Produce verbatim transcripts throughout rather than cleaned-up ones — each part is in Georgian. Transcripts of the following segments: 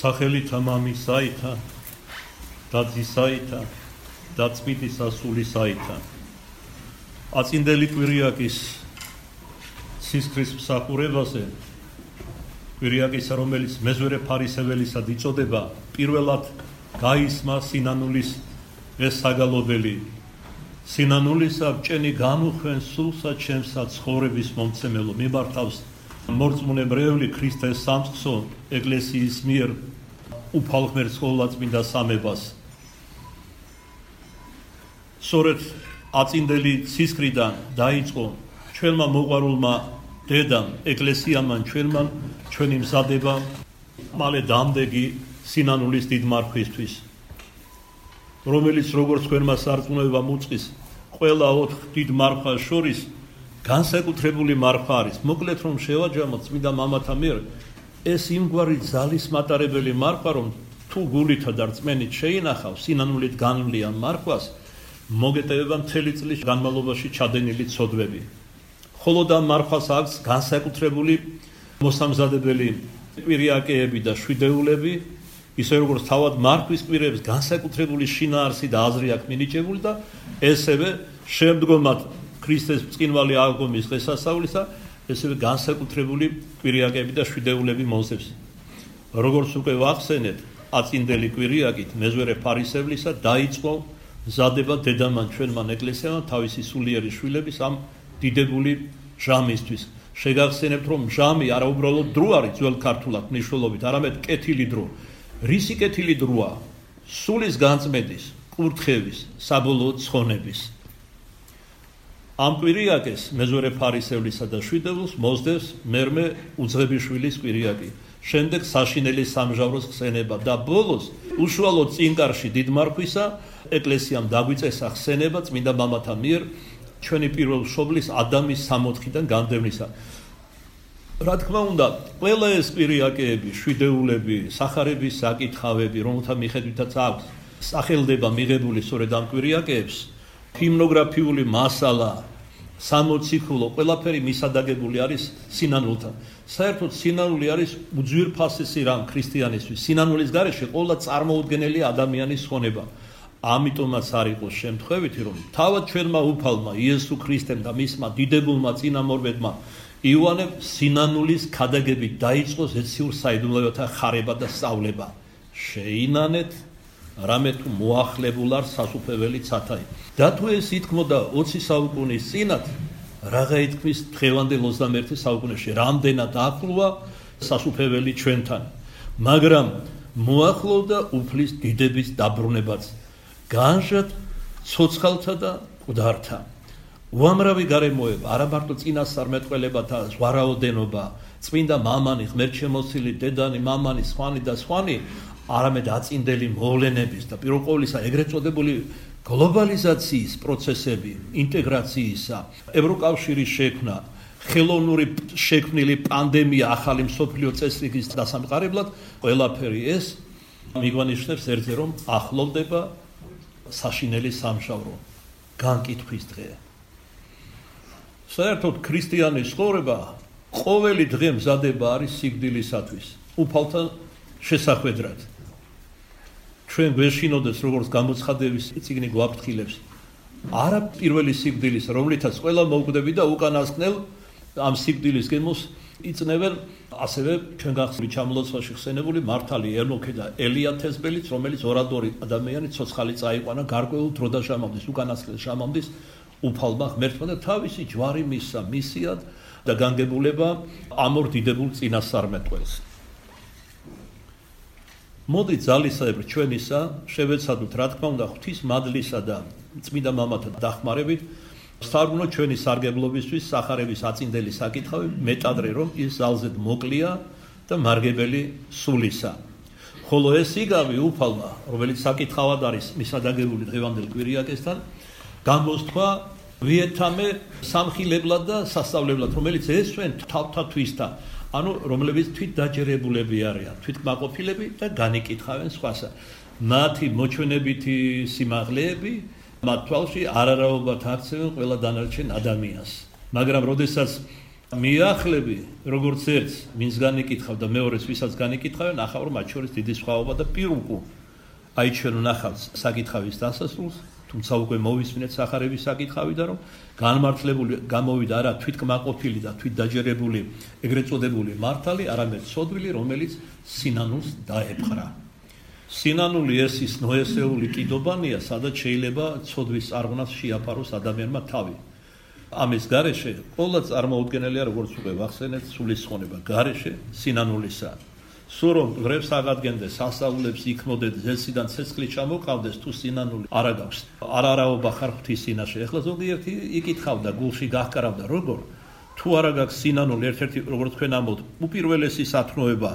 სახელითა მამისაითა და ძისაითა და წმინდისა სულისაითა. აწინდელი კვირიაკის სისხლის მსახურებაზე, კვირიაკისა, რომელიც მეზვერე ფარისეველისად იწოდება, პირველად გაისმა სინანულის ეს საგალობელი. სინანულისა ბჭენი გამოხვენ სულსა ჩემსა ცხოვრების მომცემელო, მიმართავს მორწმუნებრეული ქრისტეს სამწყსო ეკლესიის მიერ უფალ ღმერთს ყოვლადწმინდა სამებას. სწორედ აწინდელი ცისკრიდან დაიწყო ჩვენმა მოყვარულმა დედამ, ეკლესიამ, ჩვენმა ჩვენი მზადება მალე დამდეგი სინანულის დიდ მარხვისთვის, რომელიც როგორც თქვენმა სარწმუნოებამ უწყის, ყველა ოთხ დიდ მარხვას შორის განსაკუთრებული მარხვა არის. მოკლედ რომ შევაჯამოთ წმინდა მამათა მიერ, ეს იმგვარი ძალის მატარებელი მარხვა, რომ თუ გულითა და რწმენით შეინახავ სინანულით განვლიან მარხვას, მოგეტევება მთელი წლის განმავლობაში ჩადენილი ცოდვები. ხოლო და მარხვას აქვს განსაკუთრებული მოსამზადებელი კვირიაკეები და შვიდეულები, ისე როგორც თავად მარხვის კვირებს განსაკუთრებული შინაარსი და აზრი აქვს მინიჭებული და ესევე შემდგომად ქრისტეს ბრწყინვალე აღდგომის დღესასწაულისა ესევე განსაკუთრებული კვირიაკები და შვიდეულები მოსდევს. როგორც უკვე ვახსენეთ, აწინდელი კვირიაკით მეზვერე ფარისევლისა დაიწყო მზადება დედამან ჩვენმან ეკლესიამ თავისი სულიერი შვილების ამ დიდებული ჟამისთვის. შეგახსენებთ, რომ ჟამი არა უბრალოდ დრო არის ძველ ქართულად მნიშვნელობით, არამედ კეთილი დრო. რისი კეთილი დროა? სულის განწმენდის, კურთხევის, საბოლოო ცხონების. ამ კვირიაკეს მეზვერე ფარისევლისა და შვიდეულს მოსდევს მერმე უძღებიშვილის კვირიაკი, შემდეგ საშინელი სამჟავროს ხსენება და ბოლოს უშუალოდ წინკარში დიდ მარხვისა ეკლესიამ დაგვიწესა ხსენება წმინდა მამათა მიერ ჩვენი პირველ მშობლის ადამის სამოთხიდან განდევნისა. რა თქმა უნდა, ყველა ეს კვირიაკეები, შვიდეულები, სახარების საკითხავები, რომელთა მიხედვითაც აქვს სახელდება მიღებული სწორედ ამ კვირიაკეებს, ჰიმნოგრაფიული მასალა, სამოციქულო, ყველაფერი მისადაგებული არის სინანულთან. საერთოდ სინანული არის უძვირფასესი რამ ქრისტიანისთვის. სინანულის გარეშე ყველა წარმოუდგენელი ადამიანის ხონება. ამიტომაც არ იყოს შემთხვევითი, რომ თავად ჩვენმა უფალმა იესო ქრისტემ და მისმა დიდებულმა წინამორბედმა იოანემ სინანულის ქადაგებით დაიწყო ზეციურ საიდუმლოებათა ხარება და სწავლება. შეინანეთ, რამე თუ მოახლებულ არ სასუფეველი ცათაი. და თუ ეს ითქმოდა ოცი საუკუნის წინათ, რაღა ითქმის დღევანდელ ოცდამეერთე საუკუნეში, რამდენად ახლოა სასუფეველი ჩვენთან. მაგრამ მოახლოვდა უფლის დიდების დაბრუნებაც, განჟად ცოცხალთა და მკვდართა. უამრავი გარემოება, არა მარტო წინასწარმეტყველებათა ზვარაოდენობა, წმინდა მამანი, ღმერთშემოცილი დედანი, მამანი, სხვანი და სხვანი, არამედ აწინდელი მოვლენების და პირველ ყოვლისა ეგრეთ წოდებული გლობალიზაციის პროცესები, ინტეგრაციისა, ევროკავშირის შექმნა, ხელოვნური შექმნილი პანდემია ახალი მსოფლიო წესრიგის დასამყარებლად, ყველაფერი ეს მიგვანიშნებს ერთზე, რომ ახლოვდება საშინელი სამშაბრო, განკითხვის დღე. საერთოდ ქრისტიანის ცხოვრება ყოველი დღე მზადება არის სიკვდილისათვის, უფალთა შესახვედრად. ჩვენ გვეშინოდეს, როგორც გამოცხადების წიგნი გვაფრთხილებს, არა პირველი სიკვდილის, რომლითაც ყველა მოკვდები და უკანასკნელ ამ სიკვდილის გემოს იწნევენ, ასევე ჩვენ გახსნით ჩამლოცვაში ხსენებული მართალი ერმოქე და ელია თესბელიც, რომელიც ორადორი ადამიანი ცოცხალი წაიყვანა გარკვეულ დრო და ჟამამდის, უკანასკნელ ჟამამდის უფალმა ღმერთმა და თავისი ჯვარი მისცა მისიად და განგებულება ამორ დიდებულ წინასწარმეტყველს. მოდი ძალისაებრ ჩვენისა შევეცადოთ, რა თქმა უნდა, ღვთის მადლისა და წმინდა მამათა დახმარებით ვსწავლოთ ჩვენი სარგებლობისთვის სახარების აწინდელი საკითხავი, მეტადრე რომ ის ძალზედ მოკლია და მარგებელი სულისა. ხოლო ეს იგავი უფალმა, რომელიც საკითხავად არის მისადაგებული დღევანდელ კვირიაკესთან, გამოსთქვა ვიეთამე სამხილებლად და სასწავლებლად, რომელიც ესვენ თავთათვისთა, ანუ რომლებიც თვით დაჯერებულები არიან, თვით კმაყოფილები და განიკითხავენ სხვასა. მათი მოჩვენებითი სიმაღლეები მათ თვალში არარაობად აქცევენ ყველა დანარჩენ ადამიანს. მაგრამ როდესაც მიახლები, როგორც ერთს ვინც განიკითხავ და მეორეს ვისაც განიკითხავენ, ახავ რომ მათ შორის დიდი სხვაობა და პირუკუ. აი ჩვენ ვნახავთ საკითხავის დასასრულს, თუმცა უკვე მოვისმინეთ სახარების საკითხავი და რომ განმართლებული გამოვიდა არა თვითკმაყოფილი და თვითდაჯერებული ეგრეთ წოდებული მართალი, არამედ ცოდვილი, რომელიც სინანულს დაეპყრა. სინანული ეს ის ნოესეული კიდობანია, სადაც შეიძლება ცოდვის არღვნას შეაფაროს ადამიანმა თავი. ამის გარეშე ყველა წარმოუდგენელია, როგორც უკვე ვახსენეთ, სულისხმონება გარეშე სინანულისა. სულ რომ ღრებს აღადგენდეს, სასწაულებს იქმოდეს, ზესიდან ცეცხლი ჩამოყავდეს, თუ სინანული არ აქვს. არარაობა ხარ ღვთის წინაშე. ეხლა ზოგიერთი იკითხავდა, გულში გაჰკარავდა, როგორ თუ არა გაქვს სინანული, ერთ-ერთი როგორც თქვენ ამბობთ, უპირველესი სათნოება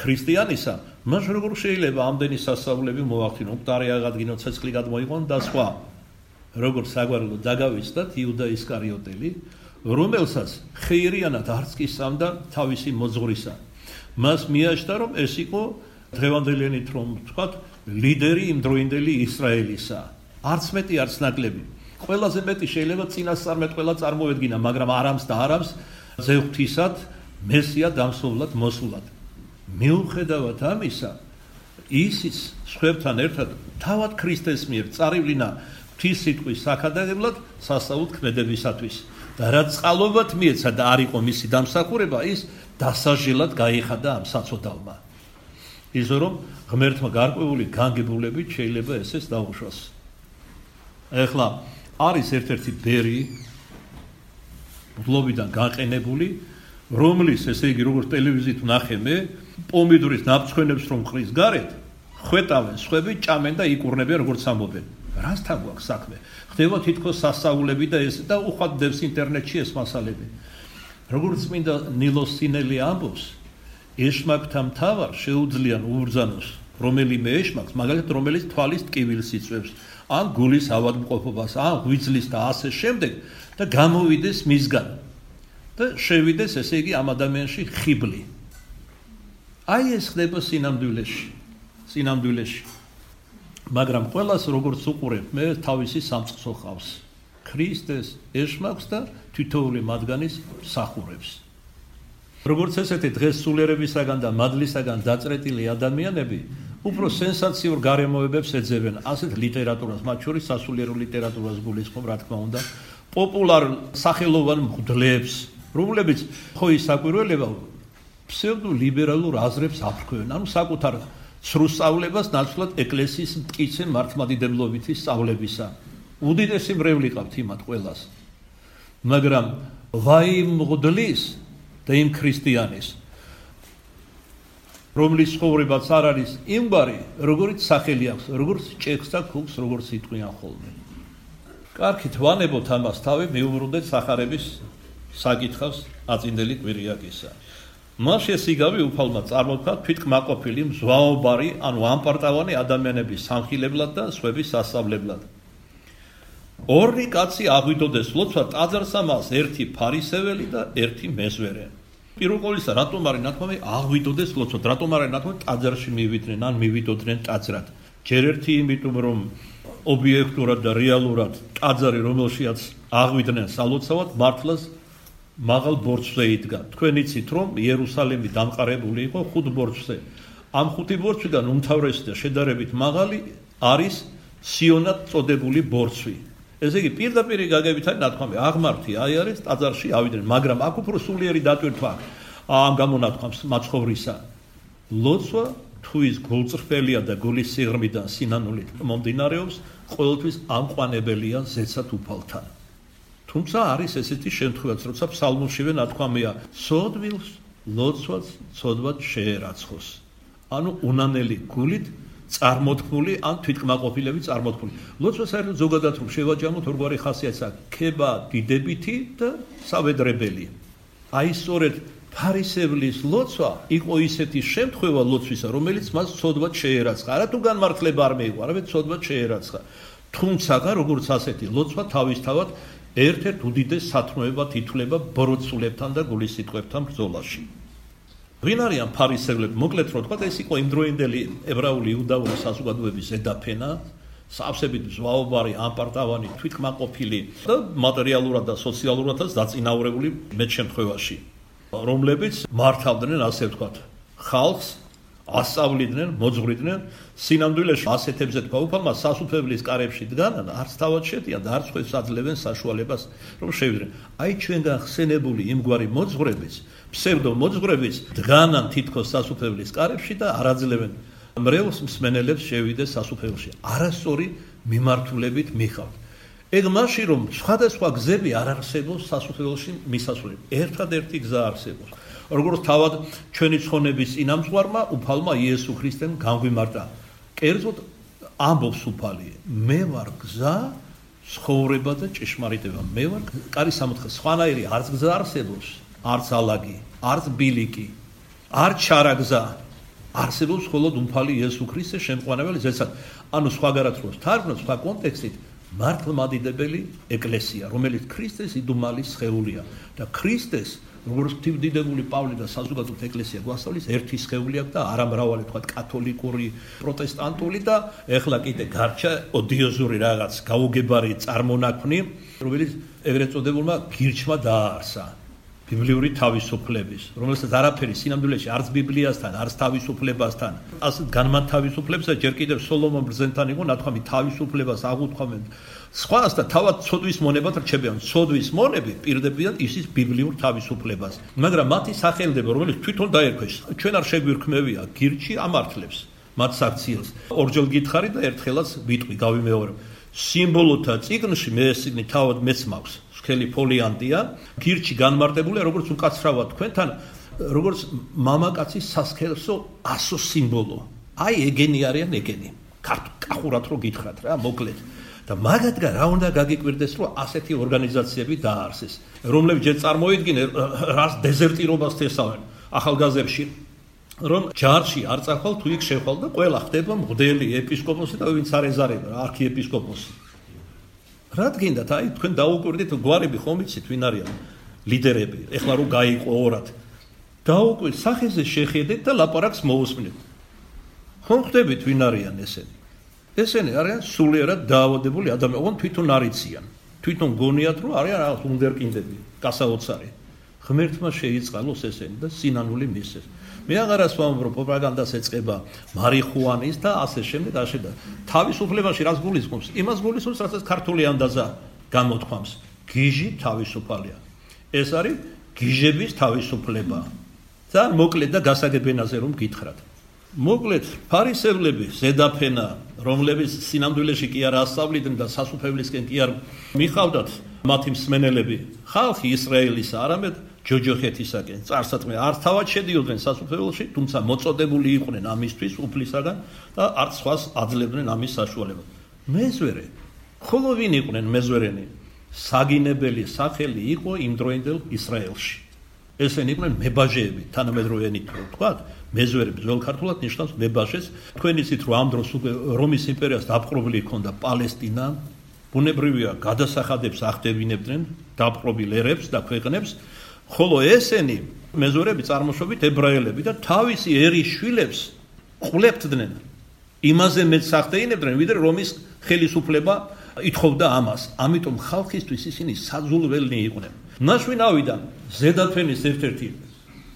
ქრისტიანისა, მას როგორ შეიძლება ამდენი სასწაულები მოახდინო, მკვდარი აღადგინო, ცეცხლი გადმოიყვან და სხვა. როგორც საგვარელო დაგავიწყდათ იუდა ისკარიოტელი, რომელსაც ხეირიანად არც კი სამდა თავისი მოძღვრისა. მას მიაჩნდა, რომ ეს იყო დღევანდელიანით რომ ვთქვათ, ლიდერი იმდროინდელი ისრაელისა. არც მეტი, არც ნაკლები. ყველაზე მეტი შეიძლება წინასწარმეტყველა წარმოედგინა, მაგრამ არამს და არამს ზეღვთისად, მესია დამსვლად მოსულად. მიუხედავად ამისა, ისიც სხვებთან ერთად თავად ქრისტეს მიერ წარევლინა ღვთის სიტყვის საქადაგებლად სასწაულთ ქმედებისათვის. და რაც წყალობად მიეცა და არ იყო მისი დამსახურება, ის დასაჟილად გაიხადა ამ საწოდავმა. ისე რომ ღმერთმა გარკვეული განგებულებით შეიძლება ესეც დაუშვას. ეხლა არის ერთ-ერთი ბერი ბლობიდან გაყენებული, რომლის, ესე იგი, როგორც ტელევიზიით ვნახე მე, პომიდორის ნაფრთხენებს რომ ყრის გარეთ, ხვეტავენ სხვები, ჭამენ და იკურნებიან, როგორც ამბობენ. რასთან გვაქვს საქმე? ხდება თითქოს სასწაულები და ეს და უხვად დევს ინტერნეტში ეს მასალები. როგორც წმინდა ნილოს სინელი ამბობს, ეშმაკთა მთავარ შეუძლიან უბრძანოს რომელიმე ეშმაკს, მაგალითად რომელიც თვალის ტკივილს იწვევს, ან გულის ავადმყოფობას, ან ღვიძლის და ასე შემდეგ და გამოვიდეს მისგან და შევიდეს, ესე იგი, ამ ადამიანში ხიბლი. აი ეს ხდება სინამდვილეში, სინამდვილეში. მაგრამ ყველას როგორც უყურებ, მე თავისი სამწყსო ხავს. ქრისტეს ეშმაკს და თითოეული მათგანის მსახურებს. როგორც ესეთი დღეს სულიერებისაგან და მადლისაგან დაწყრეტილი ადამიანები უფრო სენსაციურ გარემოებებს ეძებენ, ასეთ ლიტერატურას, მათ შორის სასულიერო ლიტერატურას გულისხმობ, რა თქმა უნდა, პოპულარ სახელოვან მღვდლებს, რომლებიც ხო ის საკვირველება ფსევდოლიბერალურ აზრებს აფრქვევენ, ანუ საკუთარ სრულ სწავლებას ნაცვლად ეკლესიის მტკიცე მართლმადიდებლობითი სწავლებისა. უდიდესი მრევლი ყავთ იმათ ყველას. მაგრამ ვაი იმ მღვდლის და იმ ქრისტიანის, რომლის ცხოვრებაც არ არის იმგვარი, როგორც სახელი აქვს, როგორც ჭექს და ქუქს, როგორც იტყვიან ხოლმე. კარგით, ვანებოთ ამას თავი, მივუბრუნდეთ სახარების საკითხავს აწინდელი კვირიაკისა. მას შესიგავი უფალმა წარმოთქვა თვითკმაყოფილი, მზვაობარი, ანუ ამპარტავანი ადამიანების სამხილებლად და სხვების სასწავლებლად. ორი კაცი აღვიდოდეს ლოცვა ტაძარს ამას, ერთი ფარისეველი და ერთი მეზვერე. პირველ ყოვლისა, რატომ არის ნათქვამი აღვიდოდეს ლოცვა, რატომ არის ნათქვამი ტაძარში მივიდნენ, ან მივიდოდნენ ტაძრად. ჯერ ერთი იმიტომ, რომ ობიექტურად და რეალურად ტაძარი, რომელშიაც აღვიდნენ სალოცავად, მართლაც მაღალ ბორცვზე იდგა. თქვენ იცით, რომ იერუსალიმი დამყარებული იყო ხუთ ბორცვზე. ამ ხუთი ბორცვიდან უმთავრესი და შედარებით მაღალი არის სიონად წოდებული ბორცვი. ესე იგი, პირდაპირ გაგებით არის ნათქვამი, აღმართი აი არის ტაძარში ავიდნენ, მაგრამ აქ უფრო სულიერი დატვირთვა ამ გამონათქვამს მაცხოვრისა. ლოცვა თუ ის გულწრფელია და გულის სიღრმიდან სინანულით მომდინარეობს, ყოველთვის ამყვანებელია ზეცად უფალთან. თუმცა არის ესეთი შემთხვევაც, როცა ფსალმურშივე ნათქვამია, სოდვილს ლოცვაც ცოდვად შეერაცხოს. ანუ უნანელი გულით წარმოთქმული, ან თვითკმაყოფილები წარმოთქმული. ლოცვა საერთოდ ზოგადად რომ შევაჯამოთ, ორგვარი ხასიათს აქვს, ქება დიდებითი და სავედრებელი. აი სწორედ ფარისევლის ლოცვა იყო ისეთი შემთხვევა ლოცვისა, რომელიც მას ცოდვად შეერაცხა. არა თუ განმართლება არ მეიღო, არამედ ცოდვად შეერაცხა. თუმცა როგორც ასეთი ლოცვა თავისთავად ერთ-ერთ უდიდეს სათნოებად ითვლება ბოროტსულებთან და გულისიტყვებთან ბრძოლაში. ვინ არიან ფარისევლები? მოკლედ რომ ვთქვათ, ეს იყო იმდროინდელი ებრაული იუდაური საზოგადოების ზედაფენა, სავსებით ზვაობარი, ამპარტავანი, თვითკმაყოფილი და მატერიალურად და სოციალურადაც დაწინაურებული მეტ შემთხვევაში, რომლებიც მართავდნენ, ასე ვთქვათ, ხალხს, ასწავლიდნენ, მოძღვრიდნენ, სინამდვილეში ასეთებზე გაუფალმა სასუფეველის კარებში დგანან, არც თავად შედიან და არც სხვებს აძლევენ საშუალებას, რომ შევიდნენ. აი ჩვენგან ხსენებული იმგვარი მოძღვრებიც, ფსევდო მოძღვრებიც დგანან თითქოს სასუფეველის კარებში და არ აძლევენ მრევლს მსმენელებს შევიდეს სასუფეველში. არასწორი მიმართულებით მიხავთ. ეგ მაშინ რომ სხვადასხვა გზები არ არსებობს სასუფეველში მისასვლელი. ერთადერთი გზა არსებობს. როგორც თავად ჩვენი ცხონების წინამძღვარმა უფალმა იესო ქრისტემ განგვიმარტა. კერძოდ ამბობს უფალი, მე ვარ გზა, ცხოვრება და ჭეშმარიტება. მე ვარ კარი სამოთხე. სხვანაირი არც გზა არსებობს, არც ალაგი, არც ბილიკი, არც ჩარა გზა. არსებობს მხოლოდ უფალი იესო ქრისტე შემყვანებელი ზეცად. ანუ სხვაგარად რო თარგმნოთ, სხვა კონტექსტით მართლმადიდებელი ეკლესია, რომელიც ქრისტეს იდუმალის სხეულია და ქრისტეს როგორც ღვთისმდიდრებული პავლე და საზოგადოებრივ ეკლესია გვასწავლის ერთი სხეული აქვს და არა მრავალი თქვა კათოლიკური, პროტესტანტული და ეხლა კიდე გარჩა ოდიოზური რაღაც გაუგებარი წარმონაქმნი, რომელიც ეგრეთ წოდებულმა გირჩმა დააარსა. ბიბლიური თავისუფლების, რომელსაც არაფერი სინამდვილეში არც ბიბლიასთან, არც თავისუფლებასთან, ასეთ განმათავისუფლებს და ჯერ კიდევ სოლომონ ბრძენთან იყო ნათქვამი თავისუფლებას აღუთქვამენ. სხვას და თავად ცოდვის მონებად რჩებიან. ცოდვის მონები პირდებიან ისის ბიბლიურ თავისუფლებას. მაგრამ მათი სახელდება, რომელიც თვითონ დაერქვეს, ჩვენ არ შეგვირქმევია, გირჩი ამართლებს მათ საქციელს. ორჯერ გითხარი და ერთხელაც ვიტყვი, გავიმეორებ. სიმბოლოთა წიგნში მე ეს წიგნი თავად მეც მაქვს. სქელი ფოლიანტია, გირჩი განმარტებულია, როგორც უკაცრავად თქვენთან, როგორც მამაკაცის სასქესო ასო სიმბოლო. აი ეგენი არიან ეგენი. კახურად რო გითხრათ რა, მოკლედ. და მაგათგან რა უნდა გაგიკვირდეს, რომ ასეთი ორგანიზაციები დააარსეს, რომლებიც ჯერ წარმოიდგინეს რას დეზერტირობას თესავენ ახალგაზრდებში, რომ ჯარში არ წახვალ თუ იქ შეხვალ და ყველა ხდება მღვდელი, ეპისკოპოსი და ვინც არ ეზარება, არქიეპისკოპოსი. რა გინდათ, აი თქვენ დაუკვირდით გვარები ხომ იცით ვინ არიან ლიდერები, ეხლა რომ გაიყო ორად. დაუკვირდით, სახეზე შეხედეთ და ლაპარაკს მოусმინეთ. ხომ ხდებით ვინ არიან ესენი? ესენი არიან სულიერად დაავადებული ადამიანები, თვითონ არიციან. თვითონ გონიათ, რომ არიან რაღაც უნდერკინდები, გასაოცარი. ღმერთმა შეიწყალოს ესენი და სინანული მისცეს. მე აღარას ვამბობ, რომ პროპაგანდას ეწყება მარიხუანის და ასე შემდეგ, ასე და თავისუფლებაში რას გულისხმობს? იმას გულისხმობს, რასაც ქართული ანდაზა გამოთქვამს. გიჟი თავისუფალია. ეს არის გიჟების თავისუფლება. ძალიან მოკლედ და გასაგებენაზე რომ გითხრათ. მოკლედ, ფარისევლები, ზედაფენა, რომლებიც სინამდვილეში კი არ ასწავლიდნენ და სასუფეველისკენ კი არ მიხავდათ მათი მსმენელები, ხალხი ისრაელისა, არამედ ჯოჯოხეთისაკენ, წარსატყმე არ თავად შედიოდნენ სასუფეველში, თუმცა მოწოდებული იყვნენ ამისთვის უფლისაგან და არც სხვას აძლევდნენ ამის საშუალებას. მეზვერე, ხოლო ვინ იყვნენ მეზვერენი? საგინებელი სახელი იყო იმდროინდელ ისრაელში. ესენი იყვნენ მებაჟეები, თანამედროვეენით რო ვთქვათ, მეზვერები ძველ ქართულად ნიშნავს მებაჟეს. თქვენ იცით, რომ ამ დროს უკვე რომის იმპერიას დაპყრობილი ჰქონდა პალესტინა, ბუნებრივია გადასახადებს ახდევინებდნენ დაპყრობილ ერებს და ქვეყნებს, ხოლო ესენი მეზვერები წარმოშობით ებრაელები და თავისი ერის შვილებს ყლებდნენ. იმაზე მეც ახდეინებდნენ, ვიდრე რომის ხელისუფლება ითხოვდა ამას. ამიტომ ხალხისთვის ისინი საძულველნი იყვნენ. ნაშვინავიდან ზედაფენის ერთ-ერთი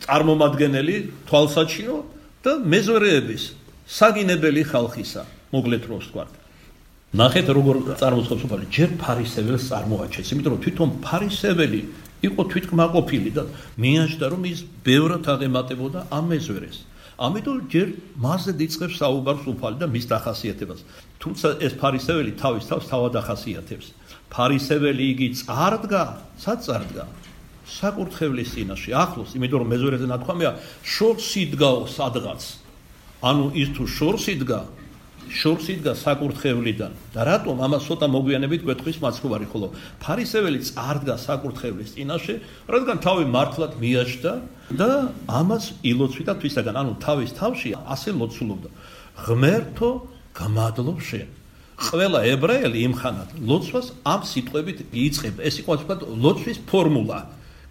წარმომადგენელი თვალსაჩინო და მეზვერეების საგინებელი ხალხისა, მოკლედ რო ვთქვათ. ნახეთ როგორ წარმოცხობს უფალი, ჯერ ფარისეველს წარმოაჩენს, იმიტომ რომ თვითონ ფარისეველი იყო თვითკმაყოფილი და მიაჩნდა რომ ის ბევრად აღემატებოდა ამ მეზვერეს. ამიტომ ჯერ მასზე იწყებს საუბარს უფალი და მის დახასიათებას. თუმცა ეს ფარისეველი თავის თავს თავად ახასიათებს. ფარისეველი იგი წარდგა, სად წარდგა? საკურთხევლის წინაშე, ახლოს, იმიტომ რომ მეზვერეზე ნათქვამია შორს იდგაო სადღაც. ანუ ის თუ შორს იდგა, შორს იდგა საკურთხევლიდან. და რატომ ამას ცოტა მოგვიანებით გვეტყვის მაცხოვარი, ხოლო ფარისეველი წარდგა საკურთხევლის წინაშე, რადგან თავი მართლად მიაჩნდა და ამას ილოცვიდა თვისაგან, ანუ თავის თავში ასე ლოცულობდა. ღმერთო, გამადლობ შენ. ყველა ებრაელი იმხანად ლოცვას ამ სიტყვებით იწყებდა. ეს იყო ასე ვთქვათ ლოცვის ფორმულა.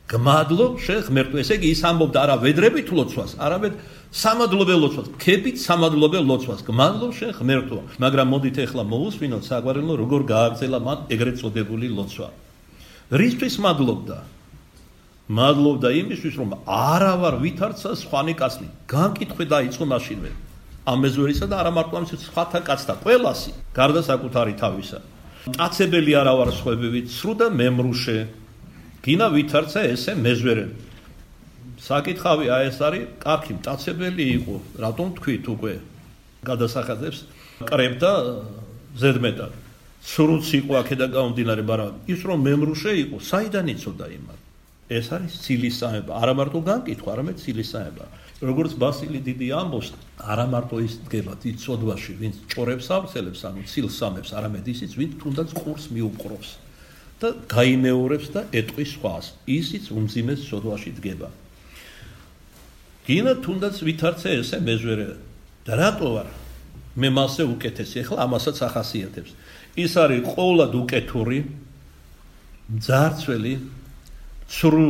გმადლობ შენ ღმერთო. ესე იგი ის ამბობდა არა ვედრებით ლოცვას, არამედ სამადლობელ ლოცვას, ქებით სამადლობელ ლოცვას. გმადლობ შენ ღმერთო. მაგრამ მოდით ახლა მოусვინოთ საგვარელო როგორ გააგრძელა მან ეგრეთ წოდებული ლოცვა. რისთვის მადლობდა? მადლობდა იმისთვის, რომ არა ვარ ვითარცა სხვანი კაცნი. განკითხვი დაიწყო მაშინვე. ამ მეზვერისა და არა მარტო ამ სხვათა კაცთა, ყველასი, გარდა საკუთარი თავისა. მტაცებელი არა ვარ სხვებივით, სრუ და მემრუშე. გინა ვითარცა ესე მეზვერე. საკითხავი აი ეს არის, კახი მტაცებელი იყო, რატომ თქვით უკვე? გადასახადებს კრებდა ზედმეტად. სრუც იყო აქედან გამომდინარე, მაგრამ ის რომ მემრუშე იყო, საიდან იცოდა იმას? ეს არის ცილისწამება, არა მარტო განკითხვა, არამედ ცილისწამება. როგორც ბასილი დიდი ამბობს, არა მარტო ის დგება დიდ სოდვაში, ვინც ჭორებს ავრცელებს, ანუ ცილსამებს, არამედ ისიც, ვინც თუნდაც ყურს მიუყრობს და გაიმეორებს და ეტყვის სხვას, ისიც უმძიმეს სოდვაში დგება. გინა თუნდაც ვითარცე ესე მეზვერე და რატო ვარ? მე მასე უკეთესი, ახლა ამასაც ახასიათებს. ის არის ყოვლად უკეთური, მძარცველი, სრუ,